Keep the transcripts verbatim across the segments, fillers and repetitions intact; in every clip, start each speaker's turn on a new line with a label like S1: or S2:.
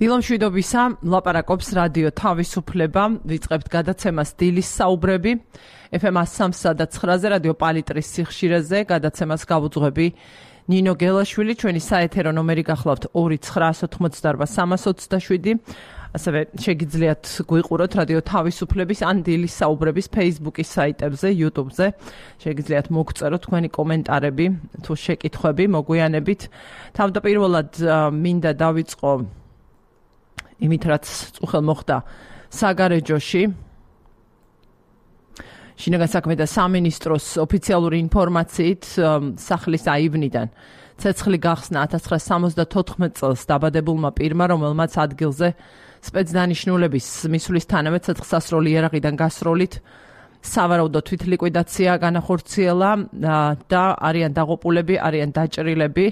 S1: დილომშვიდობისა, ლაპარაკობს რადიო თავისუფლება, ვიწყებთ გადაცემას დილის საუბრები, ეფ ემ სამსა და ცხრაზე რადიო პალიტრის სიხშირეზე, გადაცემას გავუძღვები ნინო გელაშვილი, ჩვენი საეთერო ნომერი გახლავთ ორი ცხრაასი ოცდაოთხმოცდაარბა სამას ოცდაშვიდი, ასევე შეგიძლიათ გვიყუროთ რადიო თავისუფლების ან დილის საუბრების Facebook-ის საიტებზე, YouTube-ზე, შეგიძლიათ მოგწეროთ თქვენი კომენტარები, თუ შეკითხვები, მოგვიანებით. თავდაპირველად მინდა დავიწყო იმით, რაც წუხელ მოხდა საგარეჯოში. შინაგან საქმეთა სამინისტროს ოფიციალური ინფორმაციით სახლის აივნიდან ცეცხლი გახსნა ათას ცხრაასი სამოცდათოთხმეტ წელს დაბადებულმა პირმა, რომელმაც ადგილზე სპეცდანიშნულების მისვლისთანავე ცეცხლსასროლი იარაღიდან გასროლით სავარაუდო თვითლიკვიდაცია განახორციელა და არიან დაღუპულები, არიან დაჭრილები.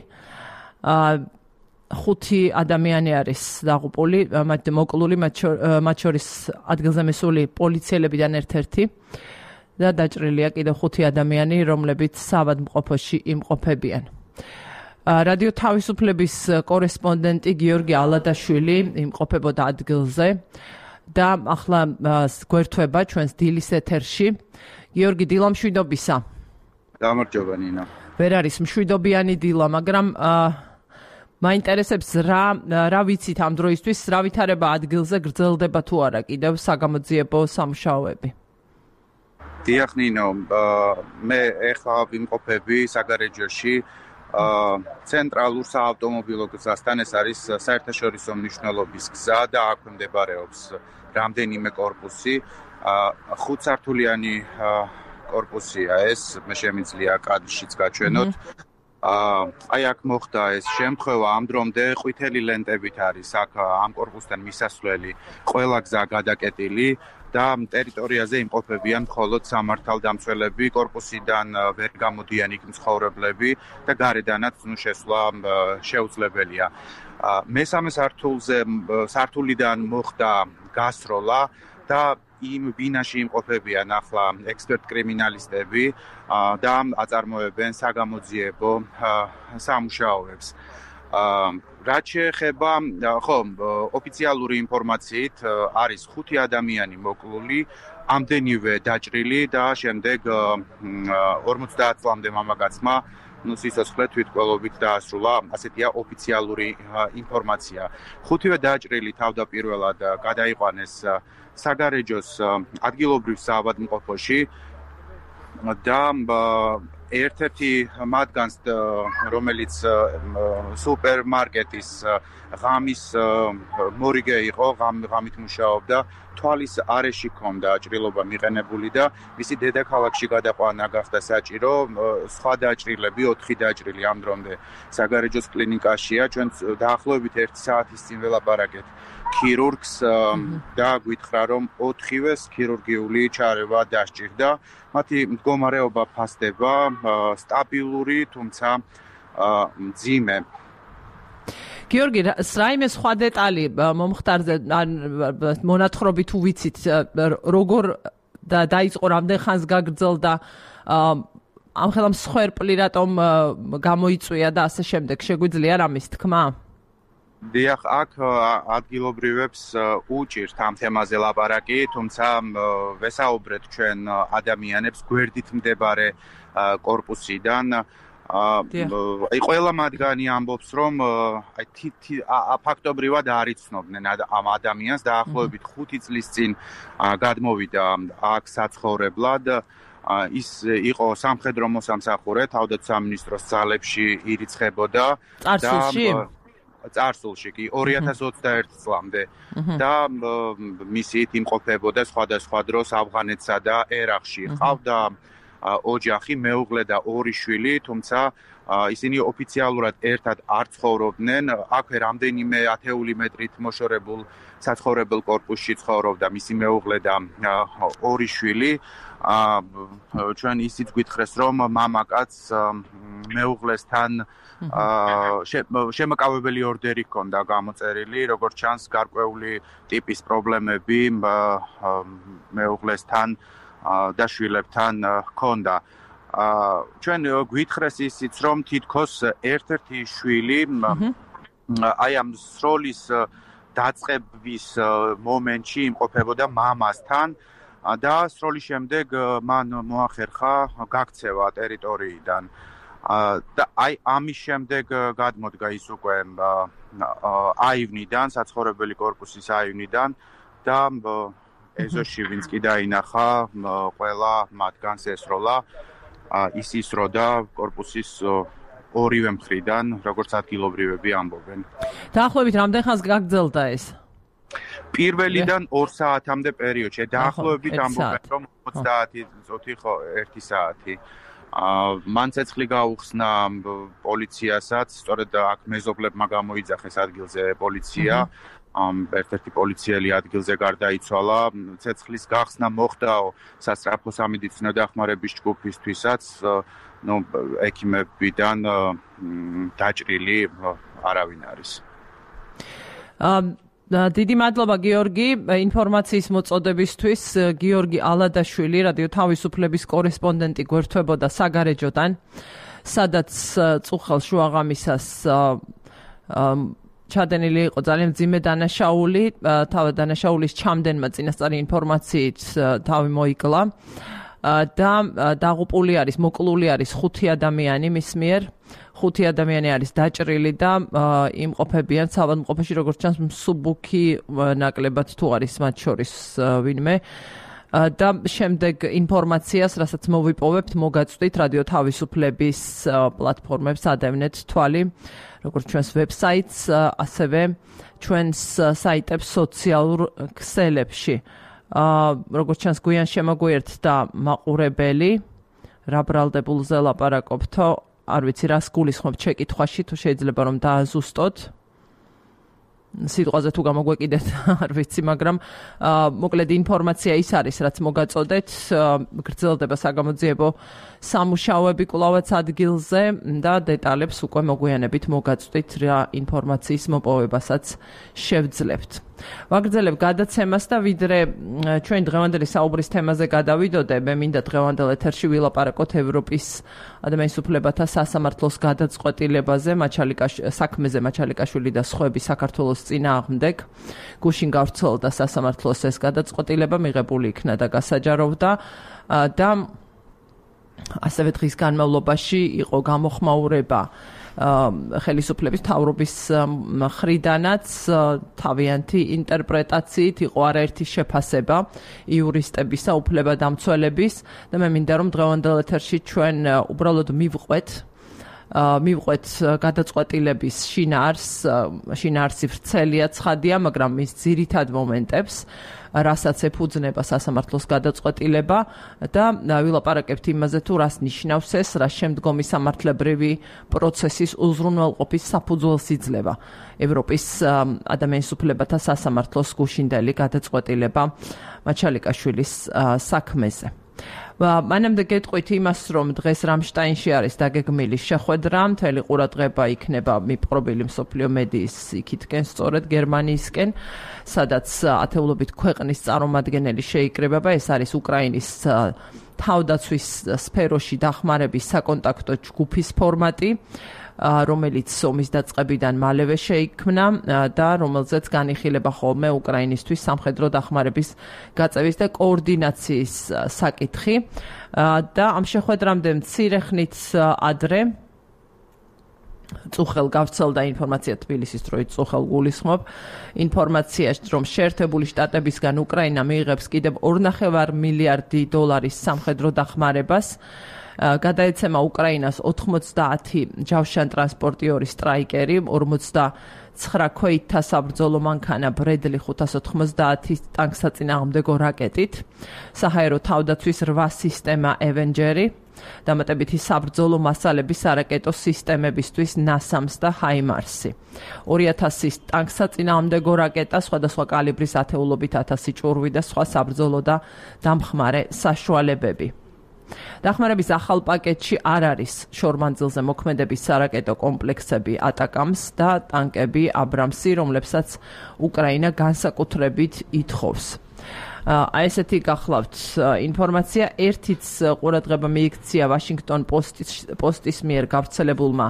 S1: ხუთი ადამიანი არის დაღუპული, მოკლული, მათ შორის ადგილზე მისული პოლიციელებიდან ერთ-ერთი და დაჭრილია კიდევ ხუთი ადამიანი, რომლებიც საავადმყოფოში იმყოფებიან. რადიო თავისუფლების კორესპონდენტი გიორგი ალადაშვილი იმყოფებოდა ადგილზე და ახლა გვერდება ჩვენს დილის ეთერში. გიორგი, დილამშვიდობისა.
S2: გამარჯობა ნინო.
S1: ვერ არის მშვიდობიანი დილა, მაგრამ მაინტერესებს რა რა ვიცით ამ დროისთვის, რა ვითარება ადგილზე, გრძელდება თუ არა კიდევ საგამოძიებო სამუშაოები?
S2: დიახ ნინო, მე ეხლა ვიმყოფები საგარეჯოში, ცენტრალურ საავტომობილო გზასთან, ეს არის საერთაშორისო მნიშვნელობის გზა და აქვე მდებარეობს რამდენიმე კორპუსი, ხუთსართულიანი კორპუსია ეს, მე შემიძლია კადრშიც გაჩვენოთ. აი აქ მოხდა ეს შემთხვევა, ამ დრომდე ყვითელი ლენტებით არის აქ ამ კორპუსთან მისასვლელი ყველა გზა გადაკეტილი და ტერიტორიაზე იმყოფებიან მხოლოდ სამართალდამცველები, კორპუსიდან ვერ გამოდიან იქ მცხოვრებლები და გარედანაც ნუ შესვლა შეუძლებელია. მესამე სართულზე სართულიდან მოხდა გასროლა და იმ ბინაში იმყოფებიან ახლა ექსპერტ კრიმინალისტები და აწარმოებენ საგამოძიებო სამუშაოებს. რაც შეეხება, ხო, ოფიციალური ინფორმაციით არის ხუთი ადამიანი მოკლული, ამდენივე დაჭრილი და შემდეგ ორმოცდაათ წლამდე მამაკაცმა ნუ სიცოცხლე თვითკვლობით დაასრულა, ასეთია ოფიციალური ინფორმაცია. ხუთივე დაჭრილი თავდაპირველად გადაიყვანეს საგარეჯოს ადგილობრივ საავადმყოფოში და ერთ-ერთი მათგანს, რომელიც სუპერმარკეტის ღამის მორიგე იყო, ღამით მუშაობდა, თვალის არეში ჰქონდა ჭრილობა მიყენებული და მისი დედაქალაქში გადაყვანა გახდა საჭირო. სხვა დაჭრილები, ოთხი დაჭრილი ამ დრომდე საგარეჯოს კლინიკაშია. ჩვენ დაახლოებით ერთი საათის წინ ველაპარაკეთ ქირურგს და გვითხრა, რომ ოთხივეს ქირურგიული ჩარევა დასჭირდა. მათი მდგომარეობა ფასდება, სტაბილური, თუმცა მძიმე.
S1: გიორგი, რაიმე სხვა დეტალი მომხდარზე, მონათხრობი თუ ვიცით, როგორ დაიწყო, რამდენ ხანს გაგრძელდა, ამხელა მსხვერპლი რატომ გამოიწვია და ასე შემდეგ, შეგვიძლია რამის თქმა?
S2: დიახ, აქ ადგილობრივებს უჭირთ ამ თემაზე ლაპარაკი, თუმცა ვესაუბრეთ ჩვენ ადამიანებს გვერდით მდებარე კორპუსიდან. აი ყველა მათგანი ამბობს, რომ აი ფაქტობრივად არ იცნობდნენ ამ ადამიანს, დაახლოებით ხუთი წლის წინ გადმოვიდა აქ საცხოვრებლად. ის იყო სამხედრო მოსამსახურე, თავდაცვის სამინისტროს ძალებში ირიცხებოდა
S1: წარსულში.
S2: წარსულში კი ორი ათას ოცდაერთი წლამდე და მისით იმყოფებოდა სხვადასხვა დროს ავღანეთსა და ერაყში. ყავდა ოჯახი, მეუღლე და ორი შვილი, თუმცა ისინი ოფიციალურად ერთად არ ცხოვრობდნენ. აქვე რამდენიმე ათეული მეტრით მოშორებულ საცხოვრებელ კორპუსში ცხოვრობდა მისი მეუღლე და ორი შვილი. ჩვენ ისიც გვითხრეს, რომ მამაკაც მეუღლესთან შემაკავებელი ორდერი ჰქონდა გამოწერილი, როგორც ჩანს, გარკვეული ტიპის პრობლემები მეუღლესთან და შვილებთან ჰქონდა. ჩვენ გვითხრეს ისიც, რომ თითქოს ერთ-ერთი შვილი აი ამ სროლის დაწყების მომენტში იმყოფებოდა მამასთან და სროლის შემდეგ მან მოახერხა გაქცევა ტერიტორიიდან. და აი ამის შემდეგ გადმოდგა ის უკვე აივნიდან, საცხოვრებელი კორპუსის აივნიდან და ეზოში ვინც კი დაინახა, ყველა მათგანს ესროლა ის ისროდა კორპუსის ორივე მხრიდან, როგორც ადგილობრივები ამბობენ.
S1: დაახლოებით რამდენ ხანს გაგრძელდა ეს?
S2: პირველიდან ორ საათამდე პერიოდში, დაახლოებით ამბობენ, რომ ოცდაათი წუთი ხო ერთი საათი. მან ცეცხლი გაუხსნა პოლიციასაც, სწორედ აქ მეზობლებმა გამოიძახეს ადგილზე პოლიცია. ერთ-ერთი პოლიციელი ადგილზე გარდაიცვალა. ცეცხლის გახსნა მოხდაო სასწრაფო სამედიცინო დახმარების ჯგუფისთვისაც, ნუ ექიმებიდან დაჭრილი არავინ არის.
S1: დიდი მადლობა გიორგი ინფორმაციის მოწოდებისთვის. გიორგი ალადაშვილი, რადიო თავისუფლების კორესპონდენტი გვერდთვებოდა საგარეჯოდან, სადაც წუხელ შუაღამისას ჩადენილი იყო ძალიან მძიმე დანაშაული. თავად დანაშაულის ჩამდენმა წინასწარი ინფორმაციით თავი მოიკლა და დაღუპული არის, მოკლული არის ხუთი ადამიანი მის მიერ. ხუთი ადამიანი არის დაჭრილი და იმყოფებიან საავადმყოფოში, როგორც ჩანს, მსუბუქი ნაკლებად თუ არის მათ შორის ვინმე. და შემდეგ ინფორმაციას, რასაც მოვიპოვებთ, მოგაწვდით რადიო თავისუფლების პლატფორმებს ადევნეთ თვალი, როგორც ჩვენს ვებსაიტს, ასევე ჩვენს საიტებს სოციალურ ქსელებში. როგორც ჩანს, გვიან შემოგვიერთდა მაყურებელი, რა ბრალდებულზე ლაპარაკობთო, არ ვიცი რას გულისხმობთ შეკითხვაში, თუ შეიძლება რომ დააზუსტოთ. სიტყვაზე თუ გამოგვეკიდეთ, არ ვიცი, მაგრამ მოკლედ ინფორმაცია ის არის, რაც მოგაწოდეთ, გრძელდება საგამოძიებო სამუშაოები კვლავაც ადგილზე და დეტალებს უკვე მოგვიანებით მოგაწვდით რა ინფორმაციის მოპოვებასაც შევძლებთ. ვაგრძელებ გადაცემას და ვიდრე ჩვენ დღევანდელი საუბრის თემაზე გადავიდოდე, მე მინდა დღევანდელ ეთერში ვილაპარაკოთ ევროპის ადამიანის უფლებათა სასამართლოს გადაწყვეტილებაზე, საქმეზე მაჩალიკაშვილი და სხვები საქართველოს წინააღმდეგ. გუშინ გავრცელდა სასამართლოს ეს გადაწყვეტილება, მიღებული იქნა და გასაჯაროვდა და ასევე დღის განმავლობაში იყო გამოხმაურება ხელისუფლების მთავრობის მხრიდანაც თავიანთი ინტერპრეტაციით იყო არაერთი შეფასება იურისტებისა, უფლებადამცველების და მე მინდა რომ დღევანდელ ეთერში ჩვენ უბრალოდ მივყვეთ მივყვეთ გადაწყვეტილების შინაარს, შინაარსი ვრცელია, ცხადია, მაგრამ მის ძირითად მომენტებს, რასაც ეფუძნება სასამართლოს გადაწყვეტილება და ვილაპარაკებთ იმაზე თუ რას ნიშნავს ეს, რა შემდგომი სამართლებრივი პროცესის უზრუნველყოფის საფუძველს იძლევა ევროპის ადამიანის უფლებათა სასამართლოს გუშინდელი გადაწყვეტილება მაჩალიკაშვილის საქმეზე. მანამდე გეტყვით იმას, რომ დღეს რამშტაინში არის დაგეგმილი შეხვედრა, მთელი ყურადღება იქნება მიპყრობილი მსოფლიო მედიის იქითკენ, სწორედ გერმანიისკენ, სადაც ათეულობით ქვეყნის წარმომადგენელი შეიკრიბება. ეს არის უკრაინის თავდაცვის სფეროში დახმარების საკონტაქტო ჯგუფის ფორმატი, რომელიც ომის დაწყებიდან მალევე შეიქმნა და რომელზეც განიხილება ხოლმე უკრაინისთვის სამხედრო დახმარების გაწევის და კოორდინაციის საკითხი და ამ შეხვედრამდე მცირე ხნით ადრე წუხელ გავრცელდა ინფორმაცია თბილისის დროით წუხელ გულისხმობ ინფორმაციაში, რომ შეერთებული შტატებისგან უკრაინა მიიღებს კიდევ ორნახევარ მილიარდი დოლარის სამხედრო დახმარებას. გადაეცემა უკრაინას ოთხმოცდაათი ჯავშანტრანსპორტიორი სტრაიკერი, ორმოცდაცხრა ქვეითთა საბრძოლო მანქანა ბრედლი ხუთას ოთხმოცდაათი ტანკსაწინააღმდეგო რაკეტით, საჰაერო თავდაცვის რვა სისტემა ევენჯერი, დამატებითი საბრძოლო მასალები სარაკეტო სისტემებისთვის ნასამს და ჰაიმარსი. ორი ათასი ტანკსაწინააღმდეგო რაკეტა, სხვადასხვა კალიბრის ათეულობით ათასი ჭურვი და სხვა საბრძოლო და დამხმარე საშუალებები. დახმარების ახალ პაკეტში არ არის შორმანძილზე მოქმედების სარაკეტო კომპლექსები ატაკამს და ტანკები აბრამსი, რომლებსაც უკრაინა განსაკუთრებით ითხოვს. აი ესეთი გახლავთ ინფორმაცია. ერთიც ყურადღება მიიქცია ვაშინგტონ პოსტის პოსტის მიერ გავრცელებულმა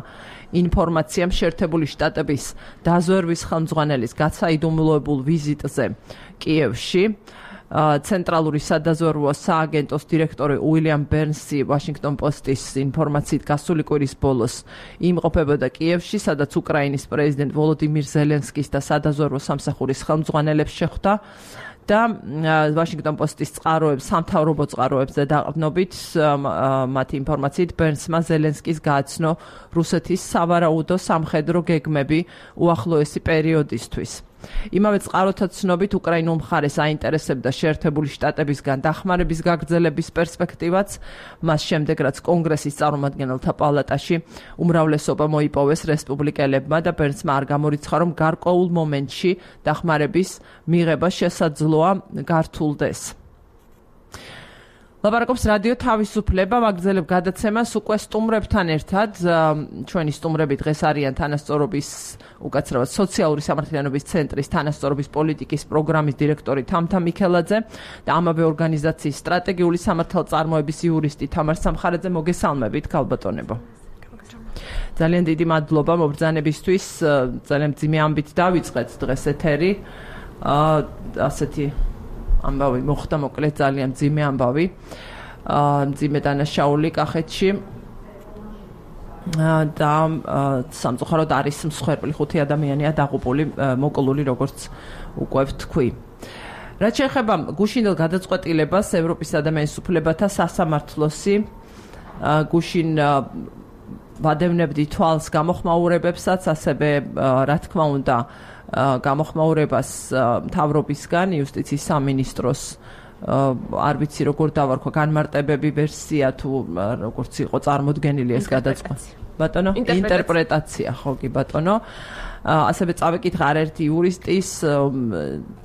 S1: ინფორმაციამ შეერთებული შტატების დაზვერვის ხელმძღვანელის გაცაიდუმლოებულ ვიზიტზე კიევში. ცენტრალური სადაზვერვო სააგენტოს დირექტორი უილიამ ბერნსი ვაშინგტონ პოსტის ინფორმაციით გასული კვირის ბოლოს იმყოფებოდა კიევში, სადაც უკრაინის პრეზიდენტ ვოლოდიმირ ზელენსკის და სადაზვერვო სამსახურის ხელმძღვანელებს შეხვდა და ვაშინგტონ პოსტის წყაროებს, სამთავრობო წყაროებზე დაყრდნობით მათი ინფორმაციით ბერნსმა ზელენსკის გააცნო რუსეთის სავარაუდო სამხედრო გეგმები უახლოესი პერიოდისთვის. იმავე წყაროთა ცნობით უკრაინულ მხარეს აინტერესებდა შეერთებული შტატებისგან დახმარების გაგრძელების პერსპექტივაც, მას შემდეგ რაც კონგრესის წარმომადგენელთა პალატაში უმრავლესობა მოიპოვეს რესპუბლიკელებმა და ბერნსმა არ გამორიცხა, რომ გარკვეულ მომენტში დახმარების მიღება შესაძლოა გართულდეს. ლაპარაკობს რადიო თავისუფლება, ვაგრძელებ გადაცემას უკვე სტუმრებთან ერთად. ჩვენი სტუმრები დღეს არიან თანასწორობის, უკაცრავად სოციალური სამართლიანობის ცენტრის თანასწორობის პოლიტიკის პროგრამის დირექტორი თამთა მიქელაძე და ამავე ორგანიზაციის სტრატეგიული სამართალწარმოების იურისტი თამარ სამხარაძე. მოგესალმებით, ქალბატონებო. ძალიან დიდი მადლობა მობრძანებისთვის. ძალიან მძიმე ამბით დავიწყეთ დღეს ეთერი. ასეთი ამბავი მოხდა, მოკლედ ძალიან მძიმე ამბავი. მძიმე დანაშაული კახეთში და სამწუხაროდ არის მსხვერპლი ხუთი ადამიანია დაღუპული, მოკლული, როგორც უკვე ვთქვი. რაც შეეხება გუშინდელ გადაწყვეტილებას ევროპის ადამიანის უფლებათა სასამართლოსი გუშინ ვადევნებდი თვალს გამოხმაურებებსაც, ასევე რა თქმა უნდა გამოხმაურებას მთავრობისგან, იუსტიციის სამინისტროს არ ვიცი როგორ დავარქვა, განმარტებები ვერსია თუ როგორც იყო წარმოდგენილი ეს გადაწყვეტილება. ბატონო, ინტერპრეტაცია, ხო კი ბატონო. ასევე წავეკითხა არაერთი იურისტის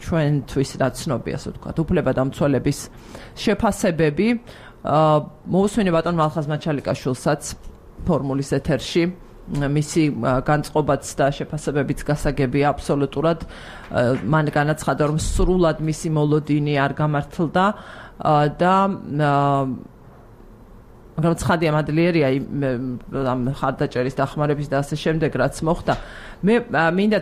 S1: ჩვენთვის რა ცნობია, ასე ვთქვათ, უფლებადამცველების შეფასებები. მოусვენე ბატონ მალხაზ მაჩალიკაშვილსაც ფორმულის ეთერში. მისი განწყობაც და შეფასებებიც გასაგებია აბსოლუტურად. მან განაცხადა, რომ სრულად მისი მოლოდინი არ გამართლდა და მაგრამ ცხადია მადლიერია ამ ხარდაჭერის დახმარების და ასე შემდეგ რაც მოხდა. მე მინდა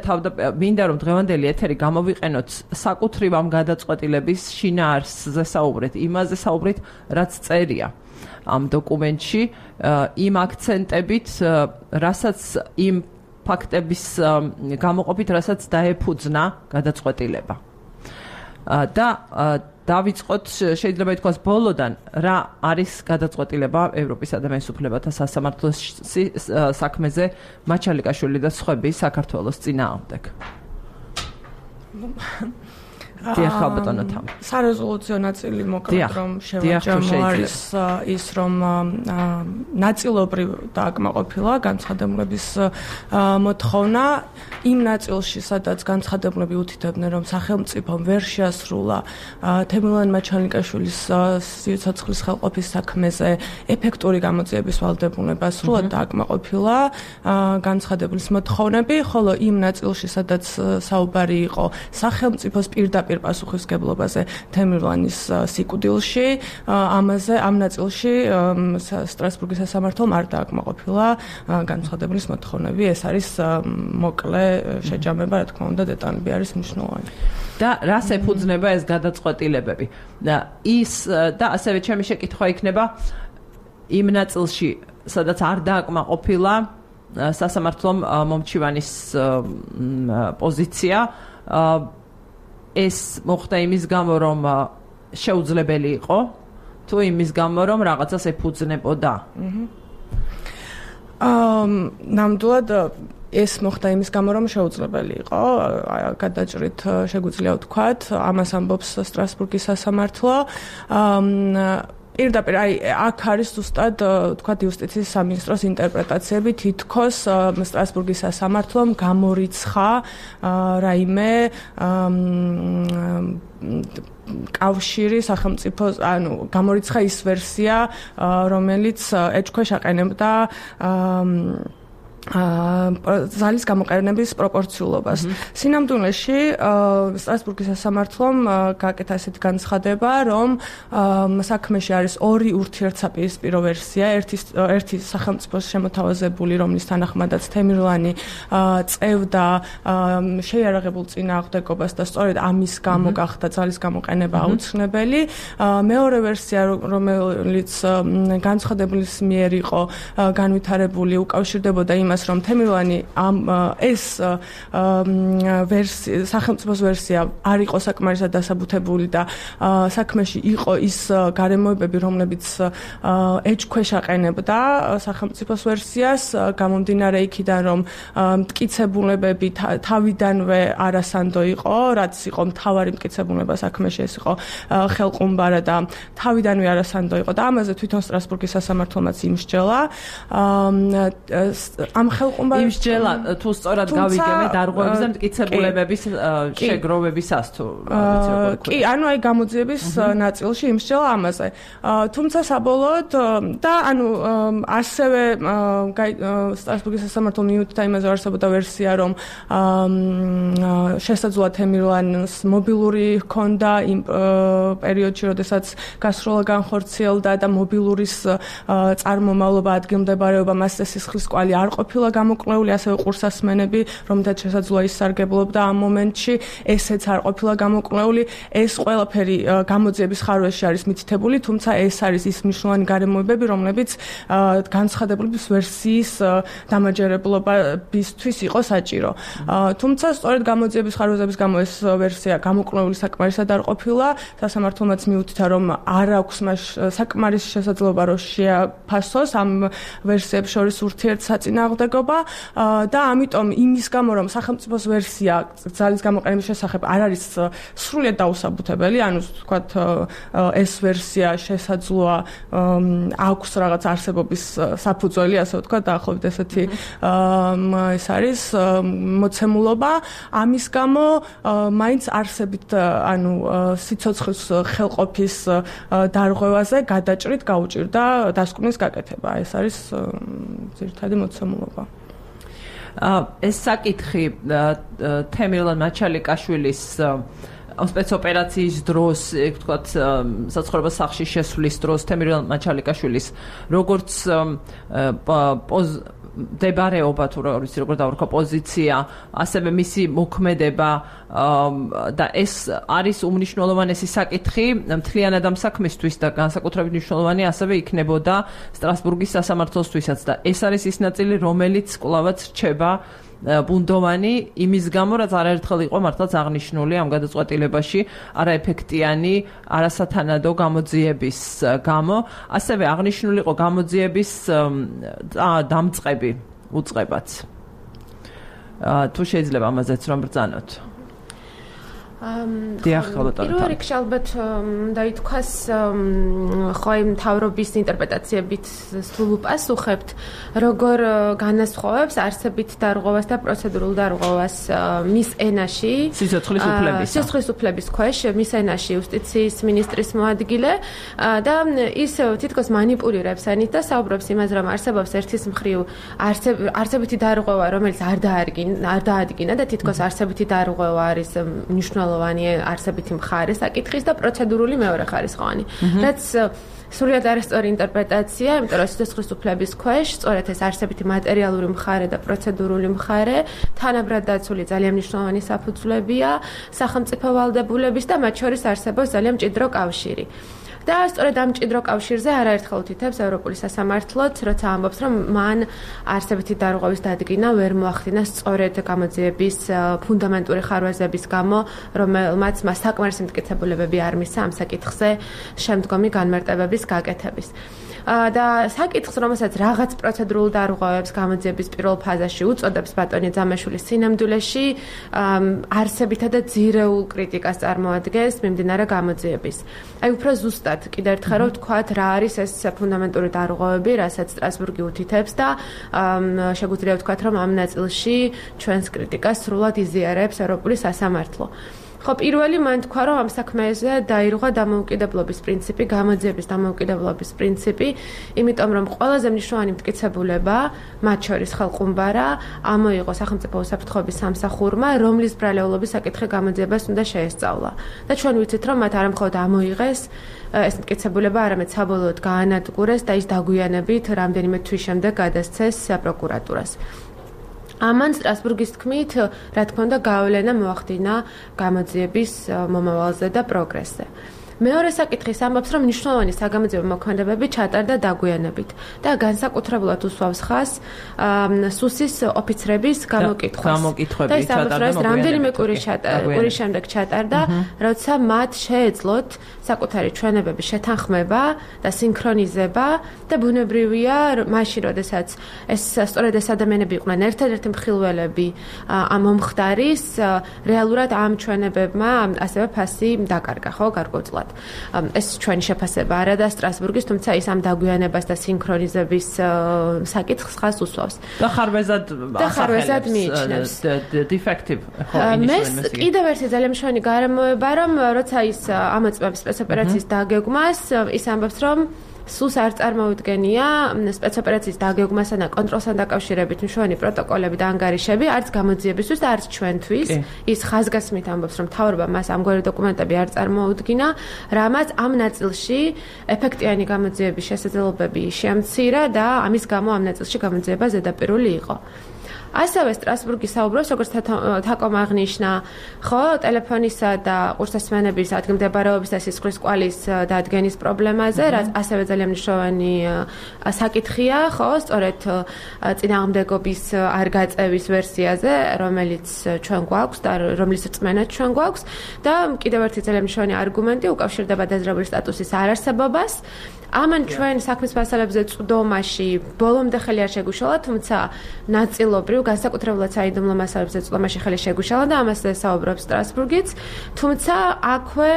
S1: მინდა რომ დღევანდელი ეთერი გამოვიყენოთ საკუთრივ ამ გადაწყვეტილების შინაარსზე საუბრეთ, იმაზე საუბრით, რაც წერია ამ დოკუმენტში, იმ აქცენტებით, რასაც იმ ფაქტების გამოყოფით, რასაც დაეფუძნა გადაწყვეტილება. და დავიწყოთ, შეიძლება ითქვას ბოლოდან, რა არის გადაწყვეტილება ევროპის ადამიანის უფლებათა სასამართლოს საქმეზე მაჩალიკაშვილი და სხვები საქართველოს წინააღმდეგ. დიახ, ბატონო თამ.
S3: სარეზოლუციო ნაწილი მოკლედ რომ შევაჯამო არის ის, რომ ნაწილობრივ დააკმაყოფილა განცხადებულების მოთხოვნა იმ ნაწილში, სადაც განცხადებულები უთითებდნენ, რომ სახელმწიფომ ვერ შეასრულა თემურლენ მაჩალიკაშვილის სიცოცხლის ხელყოფის საქმეზე ეფექტური გამოძიების ვალდებულება, სრულად დააკმაყოფილა განცხადებულის მოთხოვნები, ხოლო იმ ნაწილში, სადაც საუბარი იყო სახელმწიფოს პირდაპირ პასუხისგებლობაზე თემურლენის სიკვდილში, ამაზე ამ ნაწილში სტრასბურგის სასამართლომ არ დააკმაყოფილა განცხადებულის მოთხოვნები. ეს არის მოკლე შეჯამება, რა თქმა უნდა, დეტალები არის მნიშვნელოვანი.
S1: და რას ეფუძნება ეს გადაწყვეტილებები? და ის და ასევე ჩემი შეკითხვა იქნება იმ ნაწილში, სადაც არ დააკმაყოფილა სასამართლომ მომჩივანის პოზიცია, ეს მოხდა იმის გამო, რომ შეუძლებელი იყო, თუ იმის გამო, რომ რაღაცას ეფუძნებოდა?
S3: აა ნამდვილად ეს მოხდა იმის გამო, რომ შეუძლებელი იყო, გადაჭრით შეგვიძლია ვთქვათ, ამას ამბობს სტრასბურგის სასამართლო. აა პირდაპირ აი აქ არის ზუსტად თქვა იუსტიციის სამინისტროს ინტერპრეტაციები, თითქოს სტრასბურგის სასამართლომ გამორიცხა რაიმე კავშირი სახელმწიფოს, ანუ გამორიცხა ის ვერსია, რომელიც ეჭქვეშ აყენებდა ზალის გამოყენების პროპორციულობას. სინამდვილეში სტრასბურგის სასამართლომ გაკეთა ესეთი განცხადება, რომ საქმეში არის ორი ურთიერთსაპირისპირო ვერსია, ერთი ერთი სახელმწიფოს შემოთავაზებული, რომლის თანახმადაც თემირლანი წევდა შეიარაღებულ წინააღმდეგობას და სწორედ ამის გამო გახდა ზალის გამოყენება აუცილებელი. მეორე ვერსია, რომელიც განცხადებლის მიერ იყო განვითარებული, უკავშირდებოდა იმ რომ თემირლანი ამ ეს ვერსია სახელმწიფოს ვერსია არ იყო საკმარისად დასაბუთებული და საქმეში იყო ის გარემოებები, რომლებიც ეჭქვეშ აყენებდა სახელმწიფოს ვერსიას, გამომდინარე იქიდან, რომ მტკიცებულებები თავიდანვე არასანდო იყო, რაც იყო მთავარი მტკიცებულება საქმეში, ეს იყო ხელყუმბარა და თავიდანვე არასანდო იყო და ამაზე თვითონ სტრასბურგის სასამართლომაც იმსჯელა. ამ ხელყუმბარებს
S1: იმსჯელა თუ სწორად გავიგებთ დარღვევების და მტკიცებულებების შეგროვებისას თუ
S3: კი, ანუ აი გამოძიების ნაწილში იმსჯელა ამაზე. თუმცა საბოლოოდ და ანუ ასევე სტრასბურგის სასამართლომ მიუთითა იმაზე არსებობდა ვერსია, რომ შესაძლოა თემირლანს მობილური ჰქონდა იმ პერიოდში, როდესაც გასროლა განხორციელდა და მობილურის წარმომავლობა, ადგილმდებარეობა, მასზე სისხლის კვალი არ ყოფილა გამოკვლეული, ასევე ყურსასმენები, რომელთაც შესაძლოა ისარგებლობდა ამ მომენტში, ესეც არ ყოფილა გამოკვლეული. ეს ყველაფერი გამოძიების ხარვეში არის მითითებული, თუმცა ეს არის ის მნიშვნელოვანი გარემოებები, რომლებიც განცხადებლების ვერსიის დამაჯერებლობისთვის იყო საჭირო. თუმცა სწორედ გამოძიების ხარვეზების გამო ეს ვერსია გამოკვლეული საკმარისად არ ყოფილა, სასამართლომაც მიუთითა, რომ არ აქვს მას საკმარისი შესაძლებლობა, რომ შეაფასოს ამ ვერსიებს შორის ურთიერთსაწინააღმდეგობა და ამიტომ იმის გამო, რომ სახელმწიფოს ვერსია ზალის გამოყენების შესახებ არ არის სრულიად დაუსაბუთებელი, ანუ ვთქვათ ეს ვერსია შესაძლოა აქვს რაღაც არსებობის საფუძველი, ასე ვთქვათ, დაახლოებით ესეთი ეს არის მოცემულობა. ამის გამო მაინც არსებით ანუ სიცოცხლის ხელყოფის დარღვევაზე გადაჭრით გაუჭირდა დასკვნის გაკეთება. ეს არის ძირითადი მოცემულობა.
S1: ეს საკითხი თემირლან მაჩალიკაშვილის სპეცოპერაციის დროს, ეგ ვთქვათ, საცხოვრებელ სახლში შესვლის დროს თემირლან მაჩალიკაშვილის როგორც დებარეობა თუ როგორც როგორ დავარქვა პოზიცია, ასევე მისი მოქმედება და ეს არის უმნიშვნელოვანესი საკითხი მთლიანად ამ საქმისთვის და განსაკუთრებით მნიშვნელოვანი ასევე იქნებოდა სტრასბურგის სასამართლოსთვისაც და ეს არის ის ნაწილი, რომელიც კვლავაც რჩება ბუნდოვანი იმის გამო, რაც არაერთხელ იყო მართლაც აღნიშნული ამ გადაწყვეტილებაში არაეფექტიანი, არასათანადო გამოძიების გამო, ასევე აღნიშნული იყო გამოძიების დამწყები უწყებაც. თუ შეიძლება ამაზეც რომ ბრძანოთ.
S4: პირველ რიგში ალბათ უნდა ითქვას, ხო იმ მთავრობის ინტერპრეტაციებით სულ უპასუხებთ, როგორ განასხვავებს არსებით დარღვევას და პროცედურულ დარღვევას მის ენაში,
S1: სიცოცხლის უფლების
S4: სიცოცხლის უფლების ქვეშ მის ენაში იუსტიციის მინისტრის მოადგილე და ის თითქოს მანიპულირებს ენით და საუბრობს იმაზე, რომ არსებობს ერთის მხრივ არსებითი დარღვევა, რომელიც არ დაადგინა და თითქოს არსებითი დარღვევა არის მნიშვნელოვანი არსებითი მხარე საკითხის და პროცედურული მეორე ხარისხოვანი. რაც სრულიად არასწორი ინტერპრეტაცია, იმიტომ რომ სიცოცხლის უფლების ქვეშ სწორედ ეს არსებითი მატერიალური მხარე და პროცედურული მხარე თანაბრად დაცული ძალიან მნიშვნელოვანი საფუძვლებია სახელმწიფო ვალდებულების და მათ შორის არსებობს ძალიან მჭიდრო კავშირი. და სწორედ ამ მჭიდრო კავშირზე არაერთხელ უთითებს ევროპული სასამართლოც, როცა ამბობს, რომ მან არსებითი დარღვევის დადგინა ვერ მოახდინა სწორედ გამოძიების ფუნდამენტური ხარვეზების გამო, რომელმაც მას საკმარისი მტკიცებულებები არ მისცა ამ საკითხზე შემდგომი განმარტებების გაკეთების. და საკითხს, რომელსაც რაღაც პროცედურულ დარღვევებს გამოძიების პირველ ფაზაში უწოდებს ბატონი ძამაშვილის სინამდვილეში, არსებითა და ძირეულ კრიტიკას წარმოადგენს მიმდინარე გამოძიების. აი უფრო ზუსტად კიდევ ერთხელ რომ ვთქვათ, რა არის ეს ფუნდამენტური დარღვევები, რასაც სტრასბურგი უთითებს და შეგვიძლია ვთქვათ, რომ ამ ნაწილში ჩვენს კრიტიკას სრულად იზიარებს ევროპული სასამართლო. ხო, პირველი მან თქვა, რომ ამ საქმეზე დაირღვა დამოუკიდებლობის პრინციპი, გამოძიების დამოუკიდებლობის პრინციპი, იმიტომ რომ ყველაზე მნიშვნელოვანი მტკიცებულება, მათ შორის ხელყუმბარა, ამოიღო სახელმწიფო უსაფრთხოების სამსახურმა, რომლის ბრალეულობის საკითხი გამოძიებას უნდა შეესწავლა. და ჩვენ ვიცით, რომ მათ არამხოლოდ ამოიღეს ეს მტკიცებულება, არამედ საბოლოოდ გაანადგურეს და ის დაგვიანებით რამდენიმე თვის შემდეგ გადასცეს პროკურატურას. ამან სტრასბურგის თქმით, რა თქმა უნდა, გავლენა მოახდინა გამოძიების მომავალზე და პროგრესზე. მეორე საკითხის ამბობს, რომ მნიშვნელოვანი საგამოძიებო მოქმედებები ჩატარდა დაგვიანებით და განსაკუთრებულად უსვავს ხაზს სუსის ოფიცრების გამოკითხვას.
S1: და
S4: ის ამბობს, რომ რამდენიმე კვირის შემდეგ ჩატარდა, როცა მათ შეეძლოთ საკუთარი ჩვენებების შეთანხმება და სინქრონიზება და ბუნებრივია, მაშინ, როდესაც ეს სწორედ ეს ადამიანები იყვნენ ერთადერთი მხილველები ამ მომხდარის, რეალურად ამ ჩვენებებმა ასევე ფასი დაკარგა, ხო, გარკვეულწილად. ეს ჩვენი შეფასება არა და სტრასბურგის, თუმცა ის ამ დაგვიანებას და სინქრონიზების საკითხს ხაზს უსვავს.
S1: და ხარვეზად
S4: და ხარვეზად მიიჩნევს.
S1: defective
S4: მე კიდევ ერთი ძალიან მნიშვნელოვანი გარემოება, რომ როცა ის ამოწმებს სპეცოპერაციის დაგეგმას, ის ამბობს, რომ სულს არ წარმოუდგენია სპეცოპერაციის დაგეგმასა და კონტროლსთან დაკავშირებით მნიშვნელოვანი პროტოკოლები და ანგარიშები, არც გამოძიებისთვის და არც ჩვენთვის. ის ხაზგასმით ამბობს, რომ მთავრობამ მას ამგვარი დოკუმენტები არ წარმოუდგინა, რამაც ამ ნაწილში ეფექტიანი გამოძიების შესაძლებლობები შეამცირა და ამის გამო ამ ნაწილში გამოძიება ზედაპირული იყო. ასევე სტრასბურგი საუბრობს, როგორც თაკომ აღნიშნა, ხო, ტელეფონისა და ყურსასმენების ადგილმდებარეობის და სისხლის კვალის დადგენის პრობლემაზე, რაც ასევე ძალიან მნიშვნელოვანი საკითხია, ხო, სწორედ წინააღმდეგობის არ გაწევის ვერსიაზე, რომელიც ჩვენ გვაქვს და რომლის რწმენაც ჩვენ გვაქვს და კიდევ ერთი ძალიან მნიშვნელოვანი არგუმენტი უკავშირდება დაზრებული სტატუსის არარსებობას. ამან ჩვენ საქმის მასალებზე წვდომაში ბოლომდე ხელი არ შეგუშალა, თუმცა ნაწილობრივ განსაკუთრებულად საიდუმლო მასალებზე წვდომაში ხელი შეგუშალა და ამაზე საუბრობს სტრასბურგიც, თუმცა აქვე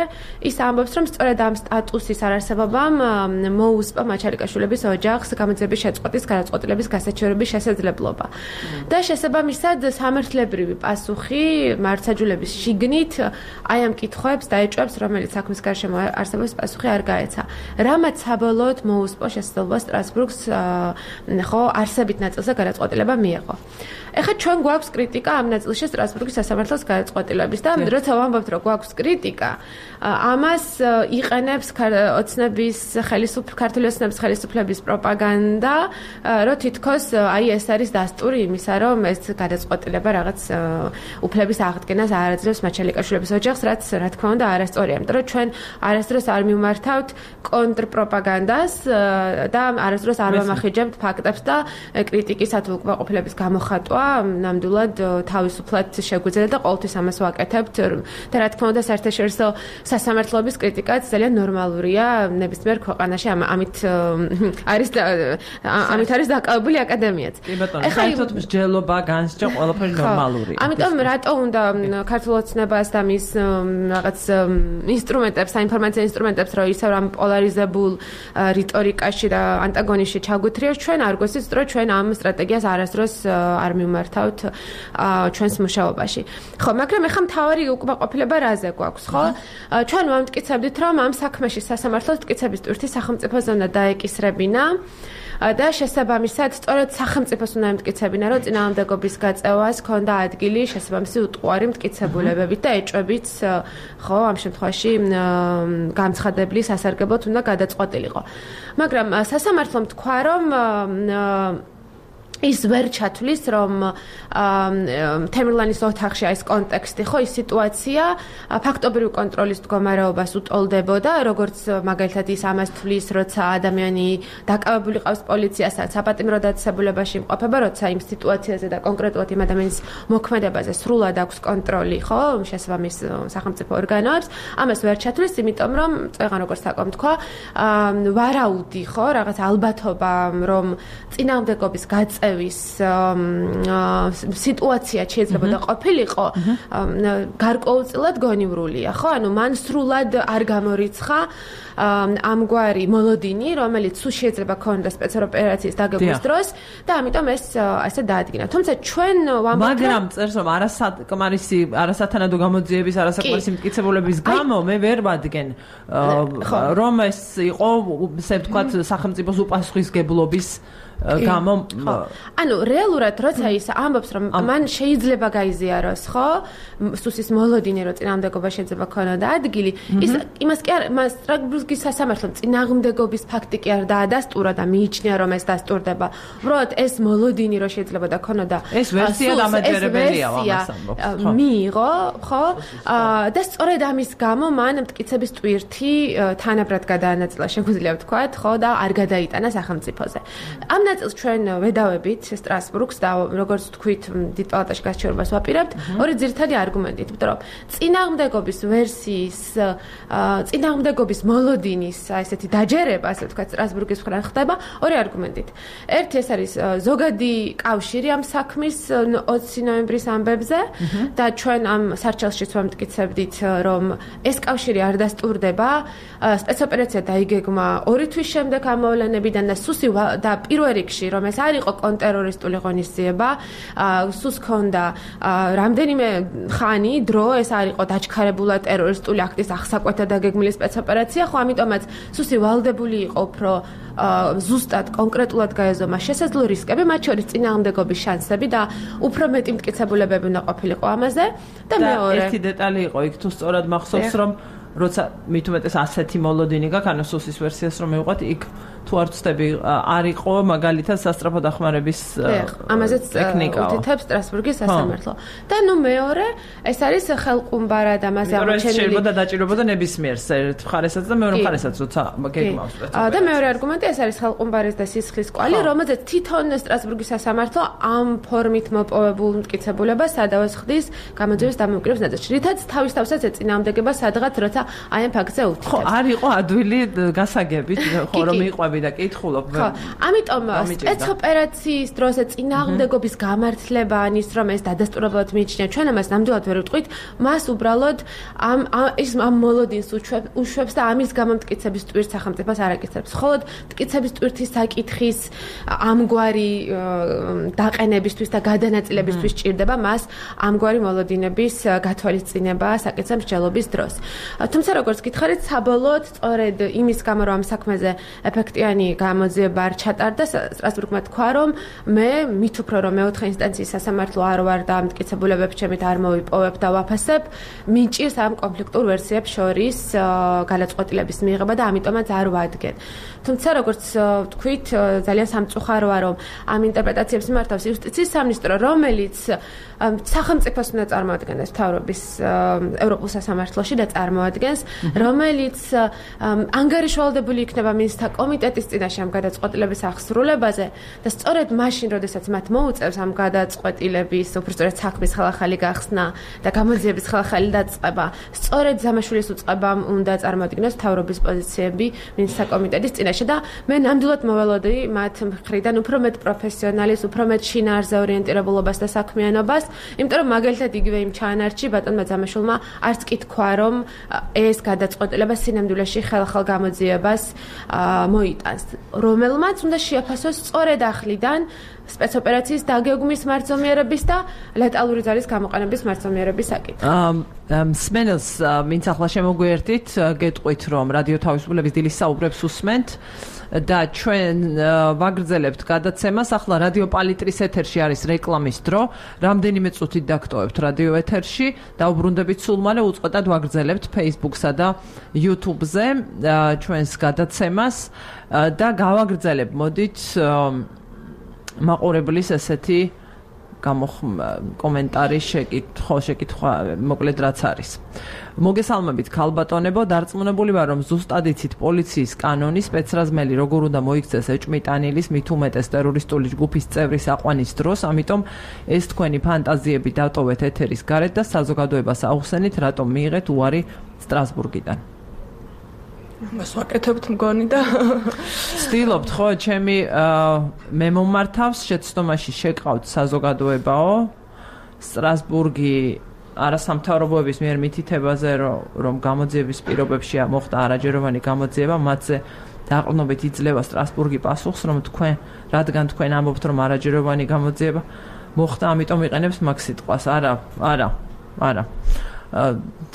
S4: ის ამბობს, რომ სწორედ ამ სტატუსის არარსებობამ მოუსპა მაჩალიკაშვილების ოჯახს გამოძიების შეწყვეტის გადაწყვეტილების გასაჩივრების შესაძლებლობა. და შესაბამისად სამართლებრივი პასუხი მართლმსაჯულების შიგნით აი ამ კითხვებს დაეჭვებს, რომელიც საქმის გარშემო არსებობს პასუხი არ გაეცა. რამაც საბოლოოდ მოუსპო შესაძლებლობა სტრასბურგს ხო არსებით ნაწილზე გადაწყვეტილება მიეღო. ეხლა ჩვენ გვაქვს კრიტიკა ამ ნაწილში სტრასბურგის სასამართლოს გადაწყვეტილების და როცა ვამბობთ, რომ გვაქვს კრიტიკა, ამას იყენებს ოცნების ხელისუფლების ქართული ოცნების ხელისუფლების პროპაგანდა, რომ თითქოს აი ეს არის დასტური იმისა, რომ ეს გადაწყვეტილება რაღაც უფლების აღდგენას არ აძლევს მაჩალიკაშვილების ოჯახს, რაც რა თქმა უნდა არასწორია, იმიტომ რომ ჩვენ არასდროს არ მიმართავთ კონტრპროპაგანდას და არასდროს არ ვამახინჯებთ ფაქტებს და კრიტიკის ათულკმაყოფილების გამოხატვა ნამდვილად თავისუფლად შეგვიძლია და ყოველთვის ამას ვაკეთებთ და რა თქმა უნდა საერთაშორისო სასამართლოების კრიტიკაც ძალიან ნორმალურია ნებისმიერ ქვეყანაში ამით არის ამით არის დაკავებული აკადემიაც.
S1: ეხლა საერთოდ მსჯელობა განსჯა ყველაფერი ნორმალურია.
S4: ამიტომ რატო უნდა ქართულ ოცნებას და მის რაღაც ინსტრუმენტებს, საინფორმაციო ინსტრუმენტებს რო ისევ რამ პოლარიზებულ რიტორიკაში და ანტაგონიზმში ჩაგუთრიოს, ჩვენ არ გვესწრებს, რომ ჩვენ ამ სტრატეგიას არასდროს არ მიმართავთ ჩვენს მუშაობაში. ხო, მაგრამ ეხლა მთავარი უკმაყოფილება რაზე გვაქვს, ხო? ჩვენ ვამტკიცებდით, რომ ამ საქმეში სასამართლოს მტკიცების ტვირთი სახელმწიფოზე უნდა დაეკისრებინა და შესაბამისად სწორედ სახელმწიფოს უნდა ემტკიცებინა, რომ წინააღმდეგობის გაწევას ქონდა ადგილი შესაბამისი უტყუარი მტკიცებულებებით და ეჭვებით, ხო, ამ შემთხვევაში გამცხადებული სასარგებლოდ უნდა გადაწყვეტილიყო. მაგრამ სასამართლომ თქვა, რომ ის ვერ ჩათვლის, რომ თემურლანის ოთახში այս კონტექსტი, ხო, ის სიტუაცია ფაქტობრივი კონტროლის მდგომარეობას უტოლდებოდა, როგორც მაგალითად ის ამას თვლის, როცა ადამიანი დაკავებული ყავს პოლიციასთან, საპატიმრო დაწესებულებაში იმყოფება, როცა იმ სიტუაციაზე და კონკრეტულად იმ ადამიანის მოქმედებაზე სრულად აქვს კონტროლი, ხო, შესაბამის სახელმწიფო ორგანოებს, ამას ვერ ჩათვლის, იმიტომ რომ წეღან როგორც საკომ თქვა, ვარაუდი, ხო, რაღაც ალბათობა, რომ წინააღმდეგობის გაწევა მიღწევის სიტუაცია შეიძლება და ყოფილიყო გარკვეულწილად გონივრულია, ხო? ანუ მან სრულად არ გამორიცხა ამგვარი მოლოდინი, რომელიც სულ შეიძლება ქონდა სპეცოპერაციის დაგეგმვის დროს და ამიტომ ეს ასე დაადგინა. თუმცა ჩვენ ვამბობთ,
S1: მაგრამ წერს რომ არასაკმარისი, არასათანადო გამოძიების, არასაკმარისი მტკიცებულების გამო მე ვერ ვადგენ რომ ეს იყო ესე ვთქვათ სახელმწიფოს უპასუხისგებლობის გამო
S4: ანუ რეალურად როცა ის ამბობს რომ მან შეიძლება გაიზიაროს ხო სუსის მოლოდინი რომ წინააღმდეგობა შეიძლება ქონოდა ადგილი ის იმას კი არ მას სტრასბურგის სასამართლომ წინააღმდეგობის ფაქტი კი არ დაადასტურა და მიიჩნია რომ ეს დასტურდება უბრალოდ ეს მოლოდინი რომ შეიძლება და ქონოდა
S1: ეს ვერსია დამაჯერებელია ამას ამბობს
S4: ხო მიიღო ხო და სწორედ ამის გამო მან მტკიცების ტვირთი თანაბრად გადაანაწილა შეგვიძლია ვთქვათ ხო და არ გადაიტანა სახელმწიფოზე ამ ნაწილს ჩვენ ვედავებით სტრასბურგს და როგორც თქვით დიდ პალატაში გასაჩივრებას ვაპირებთ ორი ძირითადი არგუმენტით იმიტომ რომ წინააღმდეგობის ვერსიის წინააღმდეგობის მოლოდინის ესეთი დაჯერება ასე ვთქვათ სტრასბურგის მხრიდან ხდება ორი არგუმენტით ერთი ეს არის ზოგადი კავშირი ამ საქმის ოცი ნოემბრის ამბებზე და ჩვენ ამ სარჩელშიც ვამტკიცებდით რომ ეს კავშირი არ დასტურდება სპეცოპერაცია დაიგეგმა ორი თვის შემდეგ ამოვლენებიდან და სუსი და პირველ რიგში რომ ეს არ იყო კონტერორისტული ღონისძიება სუს ქონდა რამდენიმე ხანი დრო ეს არ იყო დაჩქარებულა ტერორისტული აქტის ახსაკვეთა დაგეგმილი სპეცოპერაცია ხო ამიტომაც სუსი ვალდებული იყო უფრო ზუსტად კონკრეტულად გაეზომა შესაძლო რისკები მათ შორის წინააღმდეგობის შანსები და უფრო მეტი მტკიცებულებები უნდა ყოფილიყო ამაზე და მეორე
S1: ერთი დეტალი იყო იქ თუ სწორად მახსოვს რომ როცა მით უმეტეს ასეთი მოლოდინი გაქვს ანუ სუსის ვერსიას რომ მივყვათ იქ თუ არ ვწდები არ იყო მაგალითად სასტრაფო დახმარების
S4: ამაზეც უთითებს სტრასბურგის სასამართლო და ნუ მეორე ეს არის ხელყუმბარად ამაზე
S1: აღმოჩენილი შეიძლება დაჭირებოდა ნებისმიერ ერთ მხარესაც და მეორე მხარესაც როცა გეგმავს
S4: და მეორე არგუმენტი ეს არის ხელყუმბარის და სისხლის კვალი რომელზეც თვითონ სტრასბურგის სასამართლო ამ ფორმით მოპოვებულ მტკიცებულებას სადავას ხდის გამოძიების დამოუკიდებლობის ნაწილში რითაც თავის თავსაც ეწინააღმდეგება სადღაც როცა აი ამ ფაქტზე უთითებს
S1: ხო არ იყო ადვილი გასაგებით ხო რომ იყვები და კითხულობ
S4: ხო ამიტომ სპეცოპერაციის დროს წინააღმდეგობის გამართლება ანის რომ ეს დადასტურებულად მიიჩნია ჩვენ ამას ნამდვილად ვერ ვიტყვით მას უბრალოდ ამ ის ამ მოლოდინს უშვებს და ამის გამომტკიცების ტვირთს სახელმწიფოს არ აკეთებს ხოლო მტკიცების ტვირთის საკითხის ამგვარი დაყენებისთვის და გადანაწილებისთვის ჭირდება მას ამგვარი მოლოდინების გათვალისწინება საკითხის მსჯელობის დროს თუმცა როგორც გითხარით საბოლოოდ სწორედ იმის გამო რომ ამ საქმეზე ეფექტიანი გამოძიება არ ჩატარდა სტრასბურგმა თქვა რომ მე მით უფრო რომ მეოთხე ინსტანციის სასამართლო არ ვარ და მტკიცებულებებს ჩემით არ მოვიპოვებ და ვაფასებ მიჭირს ამ კონფლიქტურ ვერსიებს შორის გადაწყვეტილების მიღება და ამიტომაც არ ვადგენ თუმცა როგორც თქვით ძალიან სამწუხაროა რომ ამ ინტერპრეტაციებს მართავს იუსტიციის სამინისტრო რომელიც სახელმწიფოს უნდა წარმოადგენდეს მთავრობის ევროპულ სასამართლოში და წარმოადგენს რომელიც ანგარიშვალდებული იქნება მინისტრთა კომიტეტის წინაშე ამ გადაწყვეტილების აღსრულებაზე და სწორედ მაშინ როდესაც მათ მოუწევს ამ გადაწყვეტილების უბრალოდ საქმის ხალხალი გახსნა და გამოძიების ხალხალი დაწყება სწორედ ზამაშვილის უწყებამ უნდა წარმოადგინოს მთავრობის პოზიციები მინისტრთა კომიტეტის წინაშე და მე ნამდვილად მოველოდი მათ მხრიდან უფრო მეტ პროფესიონალის უფრო მეტ შინაარსზე ორიენტირებულობას და საქმიანობას იმიტომ რომ მაგალითად იგივე იმ ჩანართში ბატონმა ზამაშვილმა არც კი თქვა რომ ეს გადაწყვეტილება სინამდვილეში ხალხალ გამოძიებას მოიტანს რომელმაც უნდა შეაფასოს სწორედ ახლიდან სპეცოპერაციის დაგეგმვის მარცომიერების და ლეტალური ძალის გამოყენების მარცომიერების საკითხი.
S1: მსმენელს ვინც ახლა შემოგვიერთით, გეტყვით რომ რადიო თავისუფლების დილის საუბრებს უსმენთ და ჩვენ ვაგრძელებთ გადაცემას. ახლა რადიო პალიტრის ეთერში არის რეკლამის დრო. რამდენიმე წუთით დაგტოვებთ რადიო ეთერში და უბრუნდებით სულ მალე უწყვეტად ვაგრძელებთ Facebook-სა და YouTube-ზე ჩვენს გადაცემას და გავაგრძელებ მოდით მაყურებლის ესეთი კომენტარი შეკითხვა შეკითხვა მოკლედ რაც არის. მოგესალმებით ქალბატონებო, დარწმუნებული ვარ რომ ზუსტად იცით პოლიციის კანონი სპეცრაზმელი როგორ უნდა მოიქცეს ეჭმიტანილის მით უმეტეს ტერორისტული ჯგუფის წევრის აყვანის დროს, ამიტომ ეს თქვენი ფანტაზიები დატოვეთ ეთერის გარეთ და საზოგადოებას აუხსენით, რატომ მიიღეთ უარი სტრასბურგიდან.
S3: მას ვაკეთებთ მგონი და
S1: ვცდილობთ ხო ჩემი მე მომართავს შეცდომაში შეკავთ საზოგადოებაო სტრასბურგი არასამთავრობოების მიერ მითითებაზე რომ გამოძიების პირობებში მოხდა არაჯეროვანი გამოძიება მათზე დაყრდნობით იძლევა სტრასბურგი პასუხს რომ თქვენ რადგან თქვენ ამბობთ რომ არაჯეროვანი გამოძიება მოხდა ამიტომ იყენებს მაგ სიტყვას არა არა არა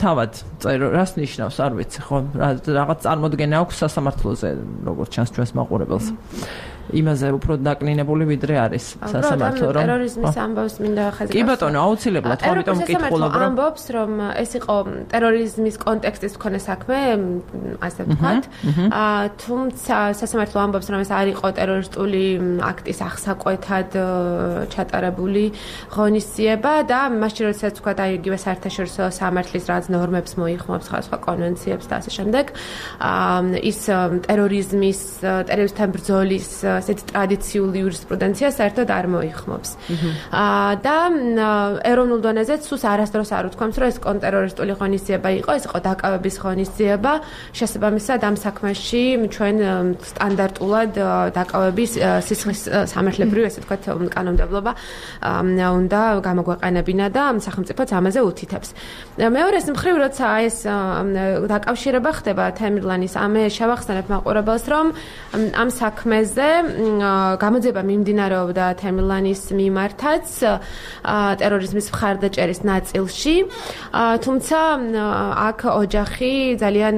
S1: თავად წერო რას ნიშნავს არ ვიცი ხო რაღაც წარმოდგენა აქვს სასამართლოზე როგორც ჩანს ჩვენს მაყურებელს იმაზე უფრო დაკლინებული ვიდრე არის სასამართლო
S4: რომ ტერორიზმის ამბავს მინდა ხაზი
S1: კი ბატონო აუცილებლად ხო ამიტომ მკითხულობ
S4: რომ ამბობს რომ ეს იყო ტერორიზმის კონტექსტის მქონე საქმე ასე ვთქვათ თუმცა სასამართლო ამბობს რომ ეს არ იყო ტერორისტული აქტის აღსაკვეთად ჩატარებული ღონისძიება და მაშინ როდესაც ვთქვათ აი იგივე საერთაშორისო სამართლის რაც ნორმებს მოიხმობს სხვა კონვენციებს და ასე შემდეგ ის ტერორიზმის ტერორისტთან ბრძოლის ასეთი ტრადიციული იურისპრუდენცია საერთოდ არ მოიხმობს. და ეროვნულ დონეზე სულს არასდროს არ უთქვამს, რომ ეს კონტერორისტული ღონისძიება იყო, ეს იყო დაკავების ღონისძიება. შესაბამისად ამ საქმეში ჩვენ სტანდარტულად დაკავების სისხლის სამართლებრივი, ესე ვთქვათ, კანონმდებლობა უნდა გამოგვეყენებინა და სახელმწიფოც ამაზე უთითებს. მეორეს მხრივ, როცა ეს დაკავშირება ხდება თემირლანის ამე შევახსენებ მაყურებელს, რომ ამ საქმეზე გამოძიება მიმდინარეობდა თემირლანის მიმართაც ტერორიზმის მხარდაჭერის ნაწილში, თუმცა აქ ოჯახი ძალიან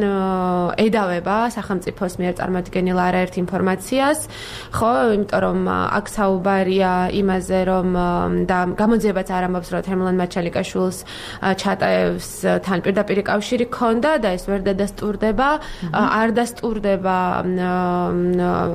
S4: ედავება სახელმწიფოს მიერ წარმოდგენილ არაერთ ინფორმაციას, ხო, იმიტომ რომ აქ საუბარია იმაზე, რომ და გამოძიებაც არ ამბობს, რომ თემირლან მაჩალიკაშვილს ჩატაევს თან პირდაპირ კავშირი ჰქონდა და ეს ვერ დადასტურდება, არ დასტურდება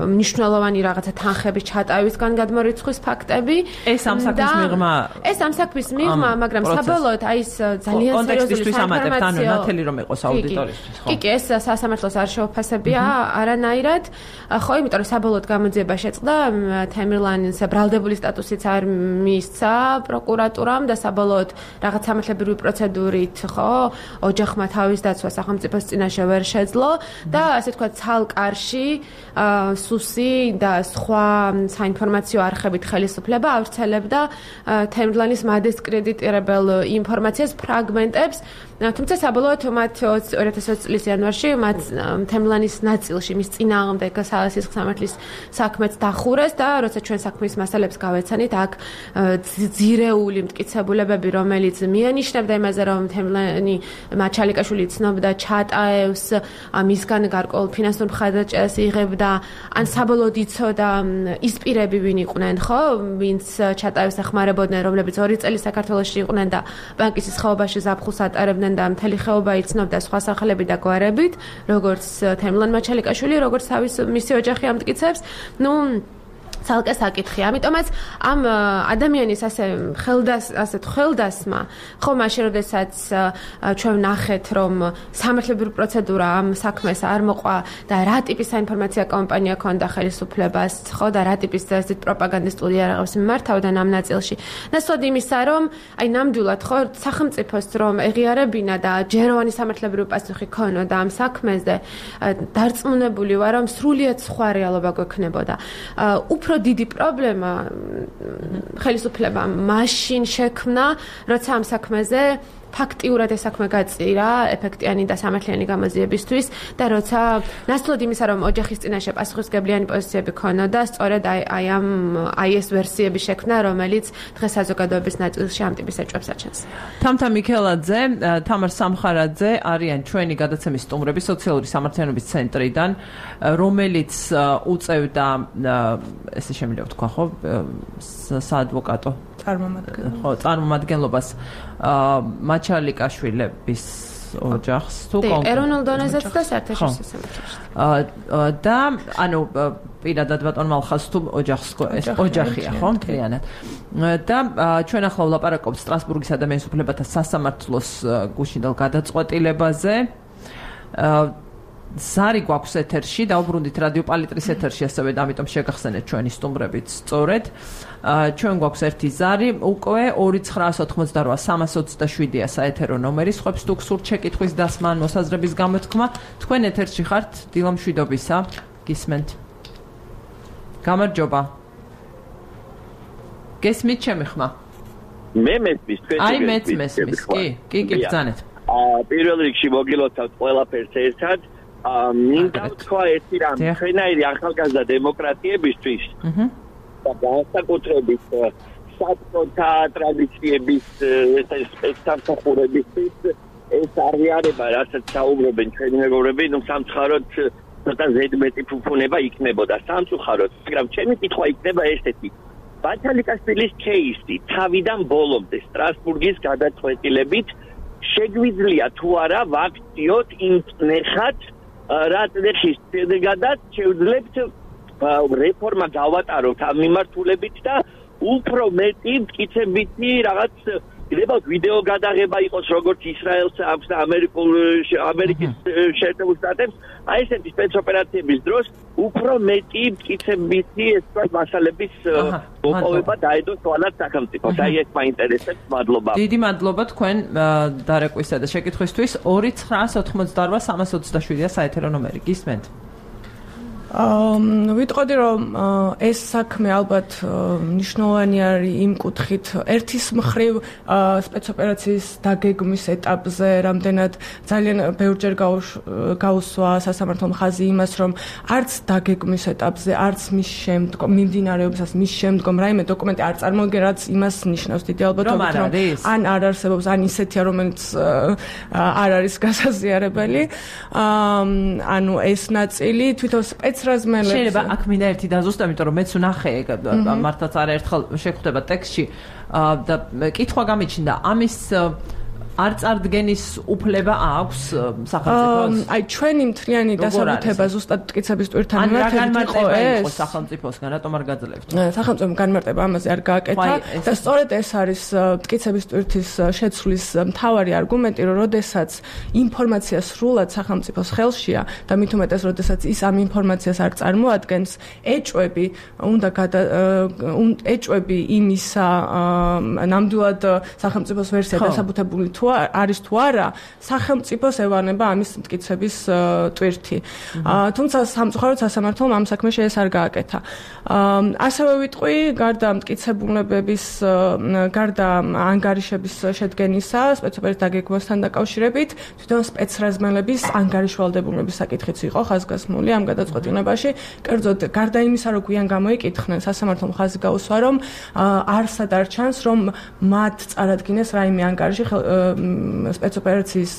S4: მნიშვნელოვანი რაღაცა თანხების ჩატავისგან გადმორიცხვის ფაქტები.
S1: ეს ამ საქმის მიღმა
S4: ეს ამ საქმის მიღმა, მაგრამ საბოლოოდ აი ეს ძალიან სერიოზული
S1: ინფორმაცია ნათელი რომ იყოს აუდიტორისთვის, ხო?
S4: კი, კი, ეს სასამართლოს არ შეუფასებია არანაირად. ხო, იმიტომ რომ საბოლოოდ გამოძიება შეწყდა, თემირლანის ბრალდებული სტატუსიც არ მისცა პროკურატურამ და საბოლოოდ რაღაც სამართლებრივი პროცედურით, ხო, ოჯახმა თავის დაცვა სახელმწიფოს წინაშე ვერ შეძლო და ასე თქვა ცალკარში სუსი და სხვა საინფორმაციო არხებით ხელისუფლება ავრცელებდა თემირლანის მადისკრედიტირებელ ინფორმაციას ფრაგმენტებს, თუმცა საბოლოოდ მათ ორი ათას ოცი წლის იანვარში მათ თემირლანის ნაწილში მის წინააღმდეგ სისხლის სამართლის საქმეც დახურეს და როცა ჩვენ საქმის მასალებს გავეცანით, აქ ძირეული მტკიცებულებები, რომელიც მიანიშნებდა იმაზე, რომ თემირლანი მაჩალიკაშვილი ცნობდა ჩატაევს, მისგან გარკვეულ ფინანსურ მხარდაჭერას იღებდა, ან საბოლოოდ იცოდა ის პირები ვინ იყვნენ, ხო, ვინც ჩატაევს ეხმარებოდნენ, რომლებიც ორი წელი საქართველოში იყვნენ და ბანკის ხეობაში ზაფხულს ატარებდნენ და მთელი ხეობა იცნობდა სხვა სახელები და გვარებით, როგორც თემირლან მაჩალიკაშვილი, როგორც თავის მისი ოჯახი ამტკიცებს. ნუ ცალკე საკითხი. ამიტომაც ამ ადამიანის ასე ხელდას ასეთ ხელდასმა, ხო, მაშინ როდესაც ჩვენ ვნახეთ, რომ სამართლებრივი პროცედურა ამ საქმეს არ მოყვა და რა ტიპის საინფორმაცია კამპანია ქონდა ხელისუფლებას, ხო, და რა ტიპის ასეთ პროპაგანდისტული იარაღებს მიმართავდნენ ამ ნაწილში. ნაცვლად იმისა, რომ აი ნამდვილად ხო სახელმწიფოს რომ ეღიარებინა და ჯეროვანი სამართლებრივი პასუხი ქონოდა ამ საქმეზე, დარწმუნებული ვარ, რომ სრულიად სხვა რეალობა გვექნებოდა. უფრო დიდი პრობლემა ხელისუფლებამ მაშინ შექმნა, როცა ამ საქმეზე ფაქტიურად ეს საქმე გაწირა ეფექტიანი და სამართლიანი გამოძიებისთვის და როცა ნაცვლად იმისა, რომ ოჯახის წინაშე პასუხისმგებლიანი პოზიციები ქონოდა, სწორედ აი აი ამ აი ეს ვერსიები შექმნა, რომელიც დღეს საზოგადოების ნაწილში ამ ტიპის ეჭვებს აჩენს.
S1: თამთა მიქელაძე, თამარ სამხარაძე არიან ჩვენი გადაცემის სტუმრები სოციალური სამართლიანობის ცენტრიდან, რომელიც უწევდა ესე შემიძლია ვთქვა, ხო, საადვოკატო
S3: წარმომადგენლობას.
S1: ხო, წარმომადგენლობას მაჩალიკაშვილების ოჯახს თუ
S4: კონკრეტულად ეროვნულ დონეზეც და საერთაშორისო სამართლებში.
S1: და ანუ პირადად ბატონ მალხაზ თუ ოჯახს ეს ოჯახია, ხო, მთლიანად. და ჩვენ ახლა ვლაპარაკობთ სტრასბურგის ადამიანის უფლებათა სასამართლოს გუშინდელ გადაწყვეტილებაზე. ზარი გვაქვს ეთერში, დაუბრუნდით რადიო პალიტრის ეთერში, ასევე და ამიტომ შეგახსენეთ ჩვენი სტუმრებით სწორედ. ჩვენ გვაქვს ერთი ზარი, უკვე ორი ცხრაას ოთხმოცდარვა სამას ოცდაშვიდია საეთერო ნომერი, სხვებს თუ გსურთ შეკითხვის დასმა, მოსაზრების გამოთქმა, თქვენ ეთერში ხართ, დილა მშვიდობისა, გისმენთ. გამარჯობა. გესმით ჩემი ხმა?
S5: მე მესმის, თქვენ
S1: აი მეც მესმის, კი, კი, კი, ბრძანეთ.
S5: აა პირველ რიგში მოგილოცავთ ყველაფერს ერთად. აა მინდა თქვა ერთი რამ, ჩვენაირი ახალგაზრდა დემოკრატიებისთვის. აჰა. და განსაკუთრებით საბჭოთა ტრადიციების სპექტაკლურებისთვის ეს აღიარება, რასაც საუბრობენ ჩვენი მეგობრები, ნუ სამწუხაროდ ცოტა ზედმეტი ფუფუნება იქნებოდა სამწუხაროდ, მაგრამ ჩემი კითხვა იქნება ესეთი. ბათალიკაშვილის кейსი თავიდან ბოლომდე სტრასბურგის გადაწყვეტილებით შეგვიძლია თუ არა ვაქციოთ იმ ნეხად რაც ნეხის შედეგადაც შევძლებთ რეფორმა გავატაროთ ამ მიმართულებით და უფრო მეტი მტკიცებითი რაღაც გრებავთ ვიდეო გადაღება იყოს როგორც ისრაელს აქვს და ამერიკულ ამერიკის შეერთებულ შტატებს აი ესეთი სპეცოპერაციების დროს უფრო მეტი მტკიცებითი ეს ვთქვათ მასალების მოპოვება დაედოს თვალად სახელმწიფოს აი ეს მაინტერესებს მადლობა
S1: დიდი მადლობა თქვენ დარეკვისა და შეკითხვისთვის ორი ცხრაას ოთხმოცდარვა სამას ოცდაშვიდია საეთერო ნომერი გისმენთ
S3: აა ვიტყოდი რომ ეს საქმე ალბათ მნიშვნელოვანი არის იმ კუთხით ერთის მხრივ სპეცოპერაციის დაგეგმვის ეტაპზე რამდენად ძალიან ბევრჯერ გაუსვა სასამართლო მხაზი იმას რომ არც დაგეგმვის ეტაპზე არც მის შემდგომ მიმდინარეობისას მის შემდგომ რაიმე დოკუმენტი არ წარმოგიდგენ რაც იმას ნიშნავს დიდი ალბათობით რომ ან არ არსებობს ან ისეთია რომელიც არ არის გასაზიარებელი ანუ ეს ნაწილი თვითონ
S1: შეიძლება აქ მინდა ერთი დაზუსტო, იმიტომ რომ მეც ვნახე მართლაც არაერთხელ შეხვდება ტექსტში და კითხვა გამიჩნდა ამის არ წარდგენის უფლება აქვს სახელმწიფოს?
S3: აი ჩვენი მთლიანი დასაბუთება ზუსტად მტკიცების ტვირთან მიმართებით იყო ეს
S1: სახელმწიფოსგან, რატომ არ გაძლევთ?
S3: სახელმწიფო განმარტება ამაზე არ გააკეთა და სწორედ ეს არის მტკიცების ტვირთის შეცვლის მთავარი არგუმენტი, რომ როდესაც ინფორმაცია სრულად სახელმწიფოს ხელშია და მით უმეტეს როდესაც ის ამ ინფორმაციას არ წარმოადგენს, ეჭვები უნდა ეჭვები იმისა ნამდვილად სახელმწიფოს ვერსია დასაბუთებული თუ არის თუ არა სახელმწიფოს ევანება ამის მტკიცების ტვირთი. თუმცა სამწუხაროდ სასამართლომ ამ საქმეში ეს არ გააკეთა. ასევე ვიტყვი, გარდა მტკიცებულებების, გარდა ანგარიშების შედგენისა, სპეცოპერაციის დაგეგმვასთან დაკავშირებით, თვითონ სპეცრაზმელების ანგარიშვალდებულების საკითხიც იყო ხაზგასმული ამ გადაწყვეტილებაში. კერძოდ, გარდა იმისა, რომ გვიან გამოიკითხნენ, სასამართლომ ხაზი გაუსვა, რომ არსად არ ჩანს, რომ მათ წარადგინეს რაიმე ანგარიში სპეცოპერაციის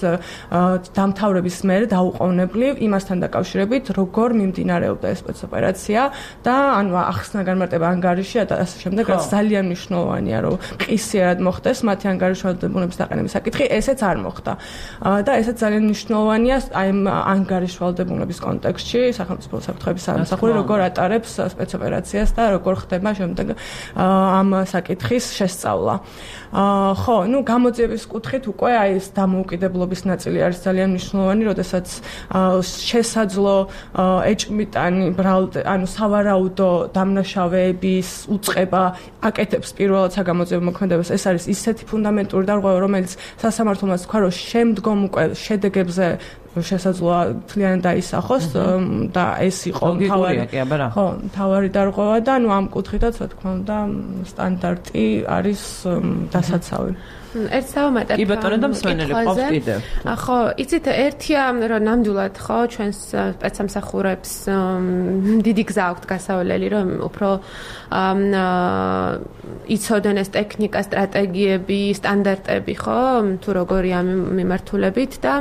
S3: დამთავრების მერე დაუყოვნებლივ იმასთან დაკავშირებით, როგორ მიმდინარეობდა ეს სპეცოპერაცია და ანუ ახსნა განმარტება ანგარიში და ასე შემდეგ, რაც ძალიან მნიშვნელოვანია, რომ ყისიერად მოხდეს მათი ანგარიშვალდებულების დაყენების საკითხი, ესეც არ მოხდა. და ესეც ძალიან მნიშვნელოვანია აი ამ ანგარიშვალდებულების კონტექსტში, სახელმწიფო საფრთხების სამსახური როგორ ატარებს სპეცოპერაციას და როგორ ხდება შემდეგ ამ საკითხის შესწავლა. ხო, ну გამოძიების კუთხით უკვე აი ეს დამოუკიდებლობის ნაწილი არის ძალიან მნიშვნელოვანი, როდესაც შესაძლო ეჭმიტანი ანუ სავარაუდო დამნაშავეების უწყება აკეთებს პირველად საგამოძიებო მოქმედებას. ეს არის ისეთი ფუნდამენტური დარღვევა, რომელიც სასამართლომაც თქვა, რომ შემდგომ უკვე შედეგებზე შესაძლოა თლიანად დაისახოს და ეს იყო მთავარი ხო, მთავარი დარღვევა და ნუ ამ კუთხითაც რა თქმა უნდა სტანდარტი არის დასაცავი.
S4: ერთ საომატად
S1: კი ბატონო და მსმენელი ყავს კიდევ.
S4: ხო, იცით ერთია რომ ნამდვილად ხო ჩვენს სპეცსამსახურებს დიდი გზა აქვთ გასავლელი რომ უფრო იცოდნენ ეს ტექნიკა, სტრატეგიები, სტანდარტები ხო, თუ როგორია მიმართულებით და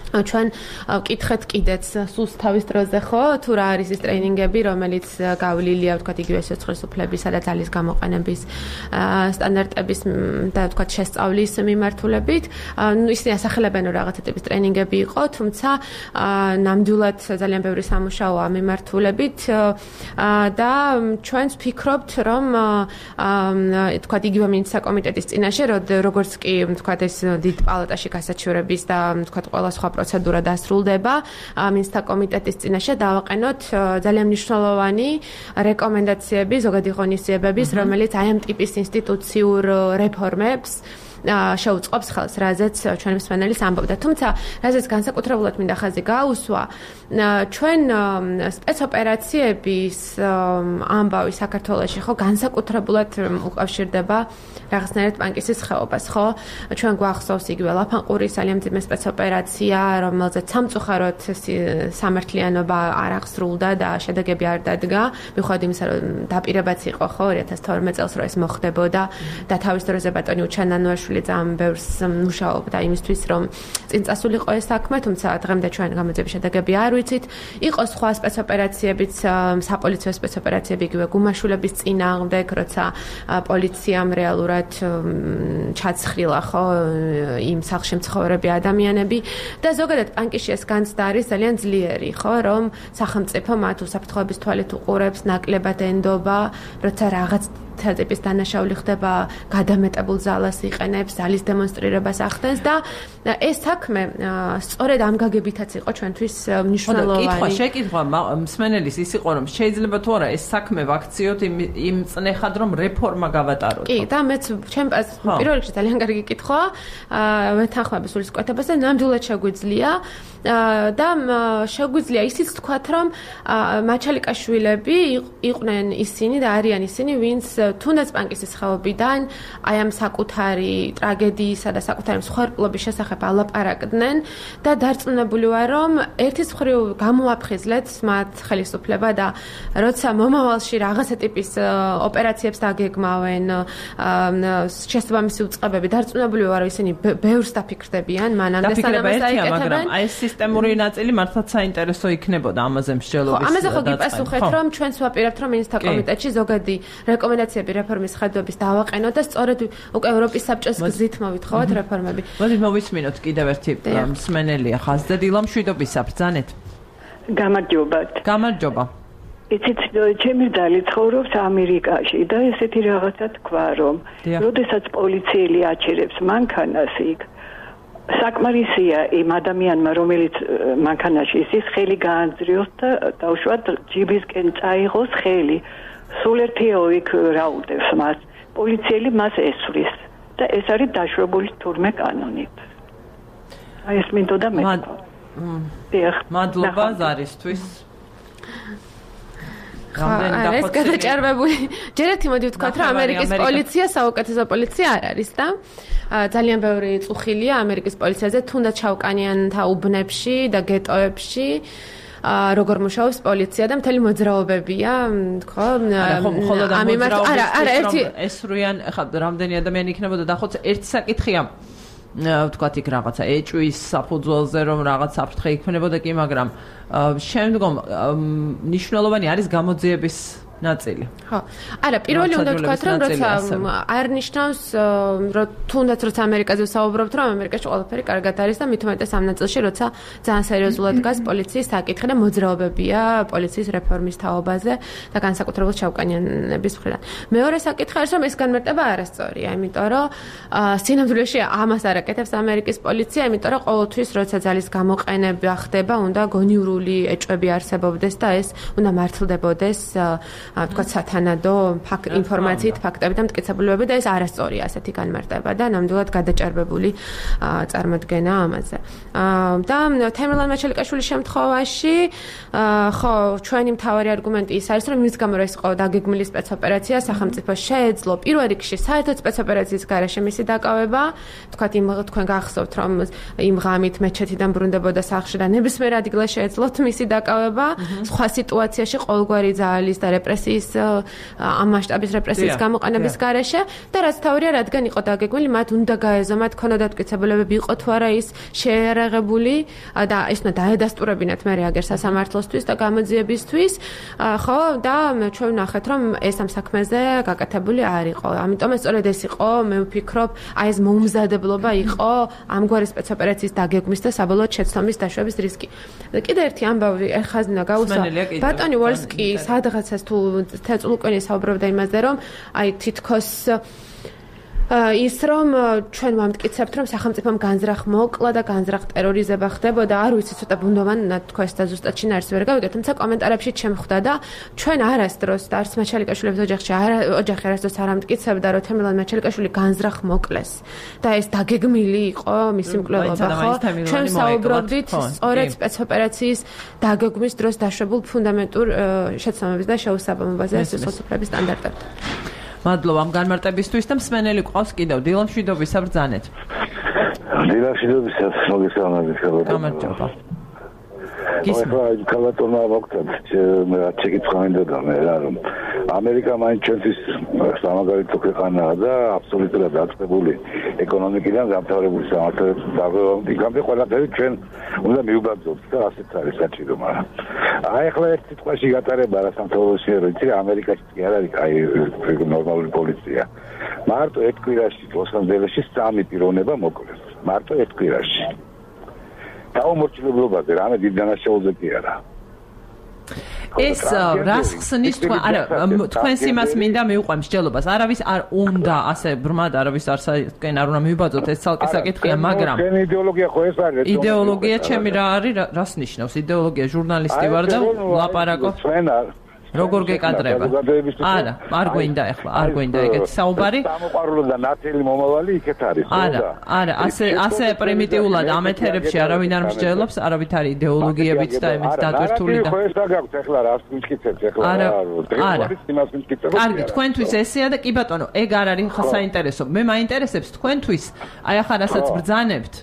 S4: ჩვენ ვკითხეთ კიდეც სულს თავის დროზე ხო თუ რა არის ეს ტრეინინგები რომელიც გავლილია ვთქვათ იგივე სიცოცხლის უფლებისა და ძალის გამოყენების სტანდარტების და ვთქვათ შესწავლის მიმართულებით ნუ ისინი ასახელებენ რომ რაღაცა ტიპის ტრეინინგები იყო თუმცა ნამდვილად ძალიან ბევრი სამუშაოა მიმართულებით და ჩვენც ვფიქრობთ რომ ვთქვათ იგივე მინისტრთა კომიტეტის წინაშე როგორც კი ვთქვათ ეს დიდ პალატაში გასაჩივრების და ვთქვათ ყველა სხვა პროცედურა დასრულდება მინსკის კომიტეტის წინაშე დავაყენოთ ძალიან მნიშვნელოვანი რეკომენდაციები, ზოგადი ღონისძიებების, რომელიც აი ამ ტიპის ინსტიტუციურ რეფორმებს შეუწყობს ხელს, რაზეც ჩვენი მსმენელის ამბობდა. თუმცა, რაზეც განსაკუთრებულად მინდა ხაზი გაუსვა, ჩვენ სპეცოპერაციების ამბავი საქართველოში ხო განსაკუთრებულად უკავშირდება რაღაცნაირად პანკისის ხეობას, ხო? ჩვენ გვახსოვს იგივე ლაფანყურის ძალიან მძიმე სპეცოპერაცია, რომელზეც სამწუხაროდ სამართლიანობა არ აღსრულდა და შედეგები არ დადგა, მიუხედავად იმისა, რომ დაპირებაც იყო ხო ორი ათას თორმეტ წელს რომ ეს მოხდებოდა და თავის დროზე ბატონი უჩანანუაშვილი ძალიან ბევრს მუშაობდა იმისთვის, რომ წინ წასულიყო ეს საქმე, თუმცა დღემდე ჩვენ გამოძიების შედეგები არ ვიცით. იყო სხვა სპეცოპერაციებიც, საპოლიციო სპეცოპერაციები იგივე გუმაშვილების წინააღმდეგ, როცა პოლიციამ რეალურად ჩაცხრილა ხო იმ სახლში მცხოვრები ადამიანები და ზოგადად პანკისში ეს განცდა არის ძალიან ძლიერი, ხო, რომ სახელმწიფო მათ უსაფრთხოების თვალით უყურებს, ნაკლებად ენდობა, როცა რაღაც თატიპის დანაშაული ხდება, გადამეტებულ ზალას იყენებს, ზალის დემონსტრირებას ახდენს და ეს საქმე სწორედ ამ გაგებითაც იყო ჩვენთვის მნიშვნელოვანი.
S1: კითხვა, შეკითხვა მსმენელის ის იყო, რომ შეიძლება თუ არა ეს საქმე ვაქციოთ იმ წნეხად, რომ რეფორმა გავატაროთ.
S4: კი, და მეც ჩემ პირველ რიგში ძალიან კარგი კითხვა, ვეთანხმები სულისკვეთებას და ნამდვილად შეგვიძლია და შეგვიძლია ისიც თქვათ, რომ მაჩალიკაშვილები იყვნენ ისინი და არიან ისინი, ვინც თუნდაც პანკისის ხეობიდან აი ამ საკუთარი ტრაგედიისა და საკუთარი მსხვერპლობის შესახებ ალაპარაკდნენ და დარწმუნებული ვარ, რომ ერთის მხრივ გამოაფხიზლეთ მათ ხელისუფლება და როცა მომავალში რაღაცა ტიპის ოპერაციებს დაგეგმავენ, შესაბამისი უწყებები, დარწმუნებული ვარ, რომ ისინი ბევრს დაფიქრდებიან, მანამდე სანამ
S1: მაგრამ აი ეს სისტემური ნაწილი მართლაც საინტერესო იქნებოდა ამაზე მსჯელობის
S4: დაწყება. ამაზე ხო გიპასუხეთ, რომ ჩვენც ვაპირებთ, რომ მინისტრთა კომიტეტში ზოგადი რეკომენდაციები რეფორმის ხედვების დავაყენოთ და სწორედ უკვე ევროპის საბჭოს გზით მოვითხოვოთ რეფორმები.
S1: მოდით მოვისმინოთ კიდევ ერთი მსმენელია ხაზზე დილა მშვიდობისა ბრძანეთ.
S6: გამარჯობათ.
S1: გამარჯობა.
S6: იცით, ჩემი ძალი ცხოვრობს ამერიკაში და ესეთი რაღაცა თქვა, რომ როდესაც პოლიციელი აჩერებს მანქანას იქ, საკმარისია იმ ადამიანმა, რომელიც მანქანაში ის ხელი გაანძრიოს და დაუშვათ ჯიბისკენ წაიღოს ხელი. სულ ერთიო იქ რაუდებს მას. პოლიციელი მას ესვრის და ეს არის დაშვებული თურმე კანონით. აი ეს მინდოდა მე.
S1: მადლობა ზარისთვის.
S4: რა ეს გადაჭარბებული. ჯერ ერთი მოდი ვთქვათ, რომ ამერიკის პოლიცია საუკეთესო პოლიცია არ არის და ძალიან ბევრი წუხილია ამერიკის პოლიციაზე, თუნდაც ჩავკანიანთა უბნებში და გეტოებში. როგორ მუშაობს პოლიცია და მთელი მოძრაობებია, ხო?
S1: ამ იმას არა, არა, ერთი ესრუიან, ხა რამდენი ადამიანი იქნებოდა და ხოც ერთი საკითხია. ვთქვათ იქ რაღაცა ეჭვის საფუძველზე რომ რაღაც საფრთხე იქნებოდა კი, მაგრამ შემდგომ მნიშვნელოვანი არის გამოძიების ნაწილი.
S4: ხო. არა, პირველი უნდა ვთქვათ, რომ როცა არ ნიშნავს, რომ თუნდაც როცა ამერიკაზე ვსაუბრობთ, რომ ამერიკაში ყველაფერი კარგად არის და მით უმეტეს ამ ნაწილში, როცა ძალიან სერიოზულად დგას პოლიციის საკითხი და მოძრაობებია პოლიციის რეფორმის თაობაზე და განსაკუთრებულად ჩავკანიანების მხრიდან. მეორე საკითხი არის, რომ ეს განმარტება არასწორია, იმიტომ რომ სინამდვილეში ამას არ აკეთებს ამერიკის პოლიცია, იმიტომ რომ ყოველთვის როცა ძალის გამოყენება ხდება, უნდა გონივრული ეჭვები არსებობდეს და ეს უნდა მართლდებოდეს ვთქვათ სათანადო ინფორმაციით, ფაქტებით და მტკიცებულებებით და ეს არასწორია ასეთი განმარტება და ნამდვილად გადაჭარბებული წარმოდგენა ამაზე. და თემურლენ მაჩალიკაშვილის შემთხვევაში ხო, ჩვენი მთავარი არგუმენტი ის არის, რომ მის გამო ეს იყო დაგეგმილი სპეცოპერაცია, სახელმწიფო შეეძლო პირველ რიგში საერთოდ სპეცოპერაციის გარეშე მისი დაკავება, ვთქვათ იმ თქვენ გახსოვთ, რომ იმ ღამით მეჩეთიდან ბრუნდებოდა სახლში და ნებისმიერ ადგილას შეეძლოთ მისი დაკავება, სხვა სიტუაციაში ყოველგვარი ძალის და რეპრესიის ამ მასშტაბის რეპრესიის გამოყენების გარეშე და რაც თავია, რადგან იყო დაგეგმილი, მათ უნდა გაეზომათ, ქონოდა მტკიცებულებები, იყო თუ არა ის შეერაღებული და ეს უნდა დაედასტურებინათ მე აგერ სასამართლოსთვის და გამოძიებისთვის, ხო, და ჩვენ ვნახეთ, რომ ეს ამ საქმეზე გაკეთებული არ იყო. ამიტომ ეს სწორედ ეს იყო, მე ვფიქრობ, აი ეს მოუმზადებლობა იყო ამგვარი სპეცოპერაციის დაგეგმვის და საბოლოოდ შეცდომის დაშვების რისკი. კიდე ერთი ამბავი ეხაზნა გაუსვა. ბატონი ვოლსკი სადღაცას თუ თეწულუკენი საუბრობდა იმაზე, რომ აი თითქოს ის რომ ჩვენ ვამტკიცებთ რომ სახელმწიფომ განზრახ მოკლა და განზრახ ტერორიზება ხდებოდა არ ვიცი ცოტა ბუნდოვან თქვა ეს და ზუსტად შინაარსს ვერ გავიგებ თუმცა კომენტარებში შემხვდა და ჩვენ არასდროს და არც მაჩალიკაშვილის ოჯახში ოჯახი არასდროს არ ამტკიცებდა რომ თემილან მაჩალიკაშვილი განზრახ მოკლეს და ეს დაგეგმილი იყო მისი მკვლელობა ხო ჩვენ საუბრობდით სწორედ სპეცოპერაციის დაგეგმვის დროს დაშვებულ ფუნდამენტურ შეცდომების და შეუსაბამობაზე სოციალურ სტანდარტებთან
S1: მადლობა ამ განმარტებისთვის და მსმენელი ყავს კიდევ დილამ შვიდობისა ბრძანეთ.
S7: დილამ შვიდობისა მოგესალმებით ხალხო.
S1: გამარჯობა.
S7: გისმა კალატონა ვაკეთებ მე შეკითხვა მინდოდა მე რა რომ ამერიკა მაინც ჩვენთვის სამაგალითო ქვეყანაა და აბსოლუტურად დაწყებული ეკონომიკიდან გამთავრებული სამართლით დაგეგმებული ყველაფერი ჩვენ უნდა მიუბრძოლოთ და ასეც არის საჭირო მაგრამ აი ახლა ერთ სიტყვაში გატარება რა სამთავრობოა რომ იცი ამერიკაში კი არ არის აი ნორმალური პოლიცია მარტო ერთ კვირაში ლოს-ანჯელესში სამი პიროვნება მოკლეს მარტო ერთ კვირაში დაუმორჩილებულობაზე რამე დიდ დანაშაულზე კი არა
S1: ეს რას ხსნის თქვენ არა თქვენს იმას მინდა მივყვე მსჯელობას არავის არ უნდა ასე ბრმად არავის არ საერთოდ არ უნდა მივიბაძოთ ეს ცალკე საკითხია მაგრამ
S7: იდეოლოგია ხო ეს არის
S1: იდეოლოგია ჩემი რა არის რას ნიშნავს იდეოლოგია ჟურნალისტი ვარ და ლაპარაკობ როგორ გეკადრება? არა, არ გვინდა ახლა, არ გვინდა ეგეთი საუბარი.
S7: სამოყვარულო და ნათელი მომავალი იქეთ არის, ხო?
S1: არა, არა, ასე ასე პრიმიტიულად ამ ეთერებში არავინ არ მსჯელობს, არავით არის იდეოლოგიებიც და εμეც დატვირთული და.
S7: ხო, ეს დაგაქვთ ახლა რას მიკითხებთ ახლა?
S1: არა,
S7: არა. იმას მიკითხებთ.
S1: კარგი, თქვენთვის ესეა და კი ბატონო, ეგ არ არის საინტერესო. მე მაინტერესებს თქვენთვის, აი ახლა რასაც ბრძანებთ.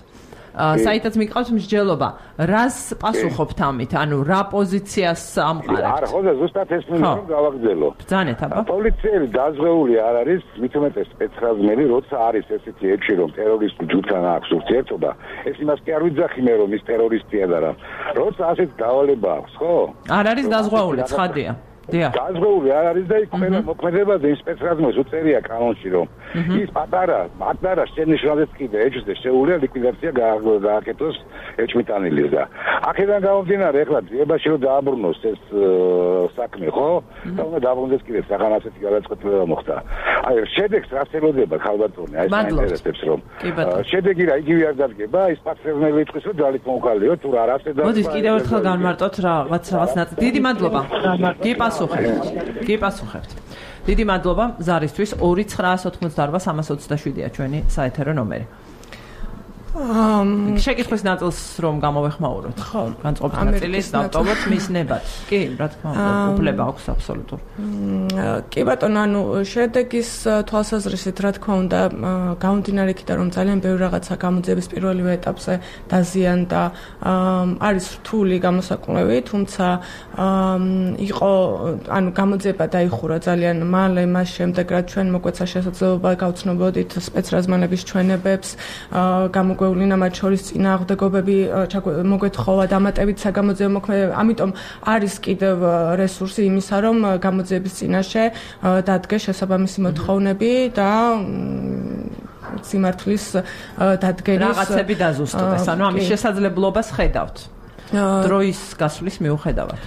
S1: საერთოდ მიყავს მსჯელობა. რას პასუხობთ ამით? ანუ რა პოზიციას ამყარებთ?
S7: არა, ხო და ზუსტად ეს მინდა რომ გავაგრძელო.
S1: ბრძანეთ აბა.
S7: პოლიციელი დაზღვეული არ არის, მით უმეტეს სპეცრაზმელი, როცა არის ესეთი ეჭვი რომ ტერორისტულ ჯგუფთან აქვს ურთიერთობა, ეს იმას კი არ ვიძახი მე რომ ის ტერორისტია და რა. როცა ასეთ დავალება აქვს, ხო?
S1: არ არის დაზღვეული, ცხადია. დიახ.
S7: დაზღვეული არ არის და იქ ყველა მოქმედებაზე იმ სპეცრაზმელს უწერია კანონში რომ ის პატარა, პატარა შენიშნავდეს კიდე ეჭვზე შეუძლია ლიკვიდაცია გააკეთოს ეჭვმიტანილის და აქედან გამომდინარე ახლა ძიებაში რომ დააბრუნოს ეს საქმე ხო? და უნდა დააბრუნდეს კიდე საგან ასეთი გადაწყვეტილება მოხდა. აი შედეგს რაც ელოდება ქალბატონი, აი საინტერესებს რომ შედეგი რა იგივე არ დადგება, ის პატრონელი იტყვის რომ ძალით მოუყალიო თუ რა არასე და
S1: მოდის კიდევ ერთხელ განმარტოთ რაღაც რაღაც ნაწილი. დიდი მადლობა. გიპასუხებთ. გიპასუხებთ. დიდი მადლობა ზარისთვის ორი ცხრაას ოთხმოცდაარბა სამას ოცდაშვიდია ჩვენი საეთერო ნომერი. ამ შეკითხვის ნაწილს რომ გამოვეხმაუროთ. ხო, განწყობთ ნაწილის დავტოვოთ მის ნებად. კი, რა თქმა უნდა, უფლება აქვს აბსოლუტურ.
S3: კი ბატონო, ანუ შედეგის თვალსაზრისით რა თქმა უნდა, გამომდინარე იქიდან რომ ძალიან ბევრი რაღაცა გამოძიების პირველივე ეტაპზე დაზიანდა, არის რთული გამოსაკვლევი, თუმცა იყო, ანუ გამოძიება დაიხურა ძალიან მალე, მას შემდეგ რაც ჩვენ მოგვეცა შესაძლებლობა გავცნობოდით სპეცრაზმანების ჩვენებებს, გამოგ გვევლინა მათ შორის წინააღმდეგობები მოგვეთხოვა დამატებით საგამოძიებო მოქმედებები. ამიტომ არის კიდევ რესურსი იმისა, რომ გამოძიების წინაშე დადგეს შესაბამისი მოთხოვნები და სიმართლის დადგენის
S1: რაღაცები დაზუსტდეს. ანუ ამის შესაძლებლობას ხედავთ. დროის გასვლის მიუხედავად.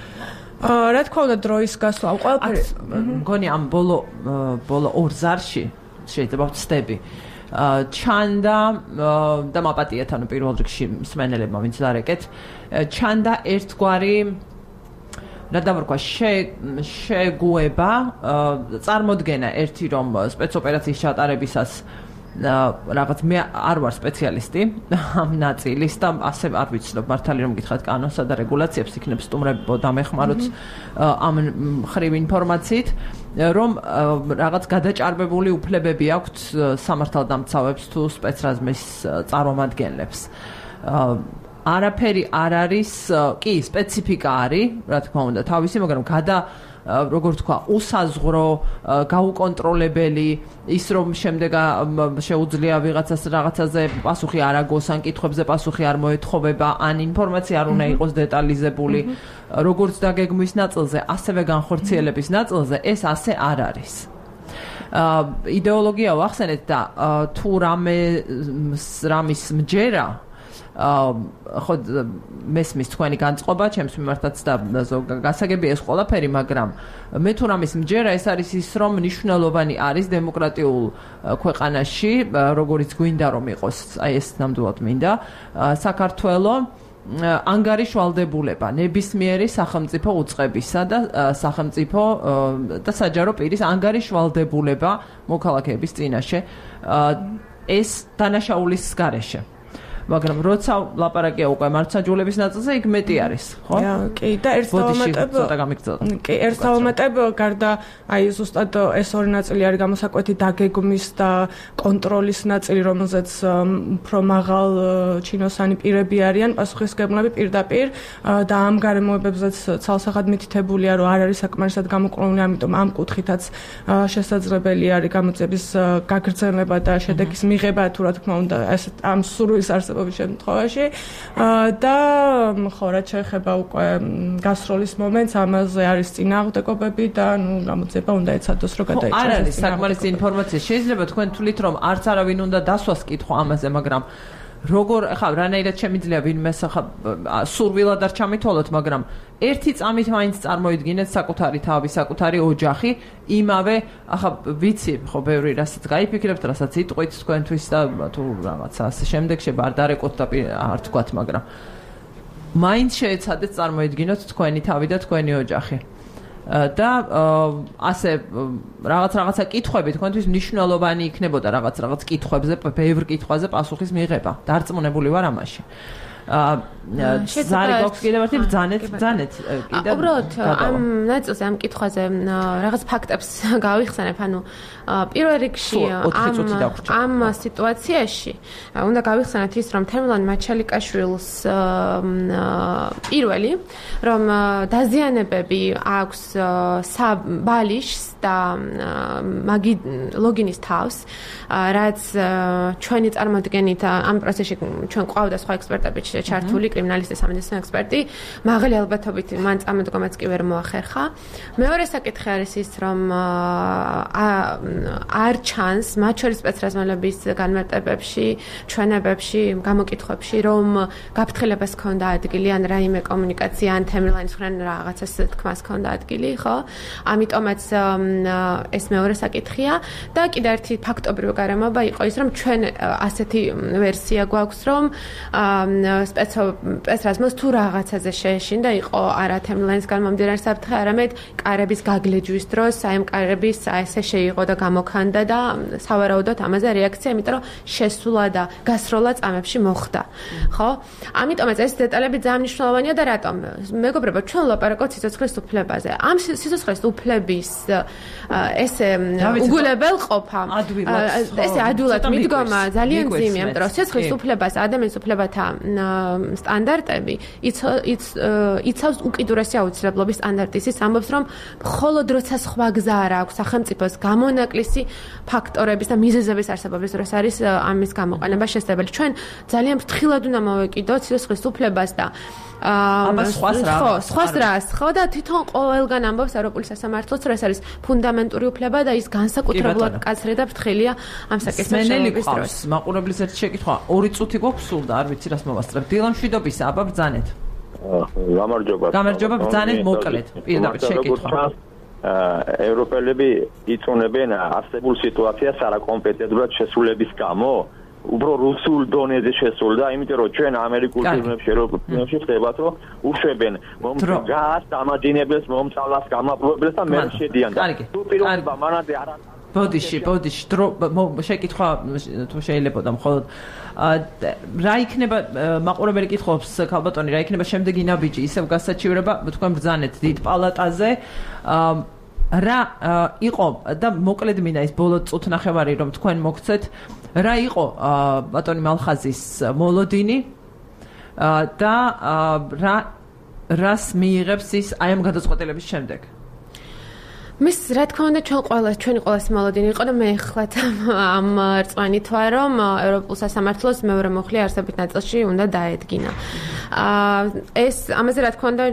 S3: რა თქმა უნდა დროის გასვლა ყველაფერი
S1: მგონი ამ ბოლო ბოლო ორ ზარში შეიძლება ვწდები. ჩანდა და მაპატიეთ ანუ პირველ რიგში მსმენელებმა ვინც დარეკეთ ჩანდა ერთგვარი რა დავარქვა შეგუება წარმოდგენა ერთი რომ სპეცოპერაციის ჩატარებისას რაღაც მე არ ვარ სპეციალისტი ამ ნაწილის და ასე არ ვიცნობ მართალი რომ გითხრათ კანონსა და რეგულაციებს იქნებ სტუმრებო დამეხმაროთ ამ ხრივ ინფორმაციით რომ რაღაც გადაჭარბებული უფლებები აქვთ სამართალდამცავებს თუ სპეცრაზმის წარმომადგენლებს არაფერი არ არის კი სპეციფიკა არის რა თქმა უნდა თავისი მაგრამ გადა როგორ თქვა უსაზღვრო გაუკონტროლებელი ის რომ შემდეგ შეუძლია ვიღაცას რაღაცაზე პასუხი არ აგოს ან კითხვებზე პასუხი არ მოეთხოვება ან ინფორმაცია არ უნდა იყოს დეტალიზებული როგორც დაგეგმვის ნაწილზე ასევე განხორციელების ნაწილზე ეს ასე არ არის იდეოლოგია ვახსენეთ და თუ რამე რამის მჯერა ხო მესმის თქვენი განწყობა, ჩემს მიმართაც და გასაგები ეს ყველაფერი, მაგრამ მე თუ რამის მჯერა ეს არის ის, რომ მნიშვნელოვანი არის დემოკრატიულ ქვეყანაში, როგორიც გვინდა რომ იყოს, აი ეს ნამდვილად მინდა, საქართველოს ანგარიშვალდებულება ნებისმიერი სახელმწიფო უწყებისა და სახელმწიფო და საჯარო პირის ანგარიშვალდებულება მოქალაქეების წინაშე ეს დანაშაულის გარეშე. მაგრამ როცა ლაპარაკია უკვე მართლმსაჯულების ნაწილზე, იქ მეტი არის, ხო?
S3: კი, და ერთ დავამატებ,
S1: ცოტა გამიგწოდა.
S3: კი, ერთ დავამატებ, გარდა აი ზუსტად ეს ორი ნაწილი არის გამოსაკვეთი დაგეგმის და კონტროლის ნაწილი, რომელზეც უფრო მაღალ ჩინოსანი პირები არიან, პასუხისმგებლები პირდაპირ და ამ გარემოებებზეც ცალსახად მითითებულია, რომ არ არის საკმარისად გამოკვლეული, ამიტომ ამ კუთხითაც შესაძლებელი არის გამოძიების გაგრძელება და შედეგის მიღება, თუ რა თქმა უნდა, ეს ამ სურვილის არსებობა შემთხვევაში და ხო რაც შეეხება უკვე გასროლის მომენტს ამაზე არის წინააღმდეგობები და ნუ გამოძიება უნდა ეცადოს რომ გადაიჭრას.
S1: არ არის საკმარისი ინფორმაცია. შეიძლება თქვენ თვლით რომ არც არავინ უნდა დასვას კითხვა ამაზე, მაგრამ როგორ ხა რანაირად შემიძლია ვინმე ხა სურვილად არ ჩამითვალოთ, მაგრამ ერთი წამით მაინც წარმოიდგინეთ საკუთარი თავი, საკუთარი ოჯახი, იმავე ახლა ვიცი ხო ბევრი რასაც გაიფიქრებთ, რასაც იტყვით თქვენთვის და თუ რაღაცა ასე შემდეგ შეიძლება არ დარეკოთ და არ თქვათ, მაგრამ მაინც შეეცადეთ წარმოიდგინოთ თქვენი თავი და თქვენი ოჯახი. და ასე რაღაც რაღაცა კითხვები თქვენთვის მნიშვნელოვანი იქნებოდა რაღაც რაღაც კითხვებზე, ბევრ კითხვაზე პასუხის მიღება. დარწმუნებული ვარ ამაში. ზარი გვაქვს კიდევ ერთი ბრძანეთ, ბრძანეთ
S4: კიდევ. უბრალოდ ამ ნაწილზე ამ კითხვაზე რაღაც ფაქტებს გავიხსენებ, ანუ პირველ რიგში ამ ამ სიტუაციაში უნდა გავიხსენოთ ის, რომ თემლან მაჩალიკაშვილს პირველი, რომ დაზიანებები აქვს ბალიშს და მაგი ლოგინის თავს, რაც ჩვენი წარმოდგენით ამ პროცესში ჩვენ ყავდა სხვა ექსპერტები ჩართული, კრიმინალისტი, სამედიცინო ექსპერტი, მაღალი ალბათობით მან წამოდგომაც კი ვერ მოახერხა. მეორე საკითხი არის ის, რომ არ ჩანს მათ შორის სპეცრაზმელების განმარტებებში, ჩვენებებში, გამოკითხვებში, რომ გაფრთხილებას ჰქონდა ადგილი ან რაიმე კომუნიკაცია ან თემლანის ხრან რაღაცას თქმას ჰქონდა ადგილი, ხო? ამიტომაც ეს მეორე საკითხია და კიდევ ერთი ფაქტობრივი გარემოება იყო ის, რომ ჩვენ ასეთი ვერსია გვაქვს, რომ სპეცრაზმელს თუ რაღაცაზე შეეშინდა, იყო არა თემლანისგან მომდინარე საფრთხე, არამედ კარების გაგლეჯვის დროს, აი ამ კარების ესე შეიღო და გამოქანდა და სავარაუდოდ ამაზე რეაქცია, იმიტომ რომ შესულა და გასროლა წამებში მოხდა. ხო? ამიტომაც ეს დეტალები ძალიან მნიშვნელოვანია და რატომ? მეგობრებო, ჩვენ ვლაპარაკობთ სიცოცხლის უფლებაზე. ამ სიცოცხლის უფლების ესე უგულებელ ყოფა, ესე ადვილად მიდგომა ძალიან ძიმია, იმიტომ რომ სიცოცხლის უფლებას ადამიანის უფლებათა სტანდარტები იცავს უკიდურესი აუცილებლობის სტანდარტის. ის ამბობს, რომ მხოლოდ როცა სხვა გზა არ აქვს სახელმწიფოს გამონაკლისი ფაქტორების და მიზეზების არსებობის დროს არის ამის გამოყენება შესაძლებელი. ჩვენ ძალიან ფრთხილად უნდა მოვეკიდოთ სიცოცხლის უფლებას და
S1: აბა სხვას რა
S4: ხო სხვას რას ხო და თვითონ ყოველგან ამბობს ევროპული სასამართლოც, რომ ეს არის ფუნდამენტური უფლება და ის განსაკუთრებულად კაცრი და ფრთხილია ამ საკითხების დროს.
S1: მაყურებლის ერთი შეკითხვა, ორი წუთი გვაქვს სულ და არ ვიცი რას მოვასწრებ. დილა მშვიდობისა, აბა ბრძანეთ.
S8: გამარჯობა.
S1: გამარჯობა, ბრძანეთ მოკლედ. პირდაპირ შეკითხვა.
S8: ევროპელები იწუნებენ არსებულ სიტუაციას არაკომპეტენტურად შესრულების გამო, უფრო რუსულ დონეზე შესრულდა, იმიტომ რომ ჩვენ ამერიკულ ფილმებში, ევროპულ ფილმებში ხდებათ, რომ უშვებენ მომწგას, დამაჯინებელს, მომწავლას, გამაპრობებს და მე შედიან და თუ პირობა მანამდე არ
S1: ბოდიში, ბოდიში, შეკითხვა თუ შეიძლება და მხოლოდ რა იქნება მაყურებელი კითხობს ქალბატონი, რა იქნება შემდეგი ნაბიჯი, ისევ გასაჩივრება, თქვენ ბრძანეთ დიდ პალატაზე. რა იყო და მოკლედ მინდა ის ბოლო წუთნახევარი რომ თქვენ მოგცეთ, რა იყო ბატონი მალხაზის მოლოდინი და რა რას მიიღებს ის აი ამ გადაწყვეტილების შემდეგ?
S4: მის რა თქმა უნდა ჩვენ ყველა ჩვენი ყველას მოლოდინი იყო და მე ეხლათ ამ რწმენით ვარ რომ ევროპულ სასამართლოს მეორე მუხლი არსებით ნაწილში უნდა დაედგინა. ეს ამაზე რა თქმა უნდა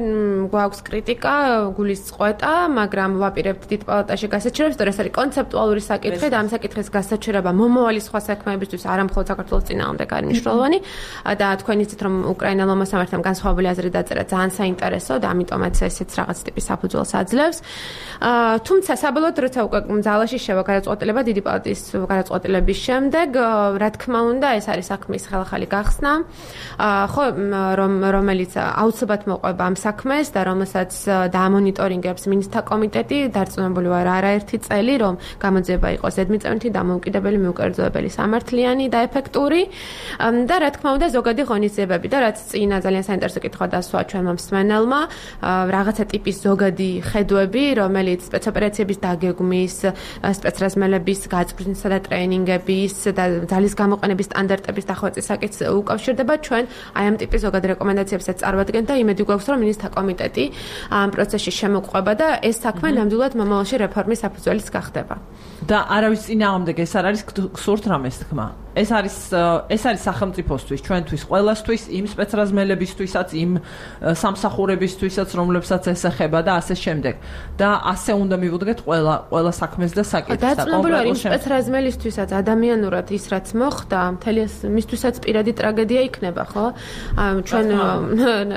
S4: გვაქვს კრიტიკა, გულის წყვეტა, მაგრამ ვაპირებთ დიდ პალატაში გასაჩერებს, რომ ეს არის კონცეპტუალური საკითხი და ამ საკითხის გასაჩერება მომავალი სხვა საქმეებისთვის არა მხოლოდ საქართველოს წინააღმდეგ არის მნიშვნელოვანი და თქვენ იცით რომ უკრაინელმა მოსამართლემ განსხვავებული აზრი დაწერა ძალიან საინტერესო და ამიტომაც ესეც რაღაც ტიპის საფუძველს აძლევს. თუმცა საბოლოოდ როცა უკვე ძალაში შევა გადაწყვეტილება დიდი პალატის გადაწყვეტილების შემდეგ რა თქმა უნდა ეს არის საქმის ხელახალი გახსნა ხო რომ რომელიც აუცილებლად მოყვება ამ საქმეს და რომელსაც დაამონიტორინგებს მინისტრთა კომიტეტი დარწმუნებული ვარ არაერთი წელი რომ გამოძიება იყოს ზედმიწევნითი დამოუკიდებელი მიუკერძოებელი სამართლიანი და ეფექტური და რა თქმა უნდა ზოგადი ღონისძიებები და რაც წინა ძალიან საინტერესო კითხვა დასვა ჩვენმა მსმენელმა რაღაცა ტიპის ზოგადი ხედვები რომელიც სპეცოპერაციების დაგეგმვის, სპეცრაზმელების გაწვრთნისა და ტრეინინგების და ძალის გამოყენების სტანდარტების დახვეწის საკითხს უკავშირდება ჩვენ აი ამ ტიპის ზოგადი რეკომენდაციებსაც წარვადგენთ და იმედი გვაქვს რომ მინისტრთა კომიტეტი ამ პროცესში შემოყვება და ეს საქმე ნამდვილად მომავალში რეფორმის საფუძველიც გახდება.
S1: და არავის წინააღმდეგ ეს არ არის გსურთ რამეს თქმა. ეს არის ეს არის სახელმწიფოსთვის, ჩვენთვის, ყველასთვის, იმ სპეცრაზმელებისთვისაც, იმ სამსახურებისთვისაც, რომლებსაც ეს ეხება და ასე შემდეგ. და ასე უნდა მივუდგეთ ყველა ყველა საქმეს და საკითხს და
S4: კონკრეტულ იმ სპეცრაზმელისთვისაც ადამიანურად ის რაც მოხდა, მთელი ეს მისთვისაც პირადი ტრაგედია იქნება, ხო? ჩვენ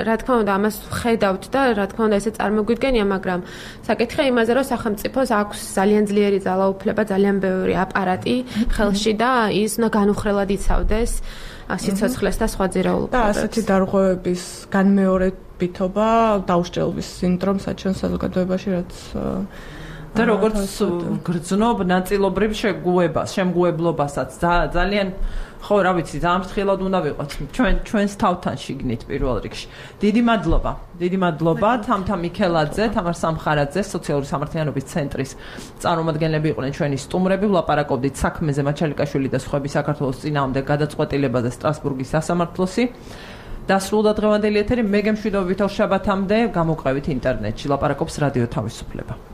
S4: რა თქმა უნდა ამას ხედავთ და რა თქმა უნდა ესე წარმოგვიდგენია, მაგრამ საკითხია იმაზე, რომ სახელმწიფოს აქვს ძალიან ძლიერი ძალაუფლება, ძალიან ბევრი აპარატი ხელში და ის უნდა განუხრელად იცავდეს სიცოცხლეს და სხვა ძირეულობებს.
S3: და ასეთი დარღვევების განმეორებითობა დაუშჯელობის სინდრომსაც ჩვენ საზოგადოებაში რაც
S1: და როგორც გრძნობ ნაწილობრივ შეგუებას, შემგუებლობასაც ძალიან ხო რა ვიცი, ძალიან ფრთხილად უნდა ვიყოთ ჩვენ ჩვენს თავთან შიგნით პირველ რიგში. დიდი მადლობა. დიდი მადლობა თამთა მიქელაძე, თამარ სამხარაძე, სოციალური სამართლიანობის ცენტრის წარმომადგენლები იყვნენ ჩვენი სტუმრები. ვლაპარაკობდით საქმეზე მაჩალიკაშვილი და სხვები საქართველოს წინააღმდეგ გადაწყვეტილებაზე სტრასბურგის სასამართლოსი. დასრულდა დღევანდელი ეთერი, მე გემშვიდობებით ორ შაბათამდე, გამოყევით ინტერნეტში. ლაპარაკობს რადიო თავისუფლება.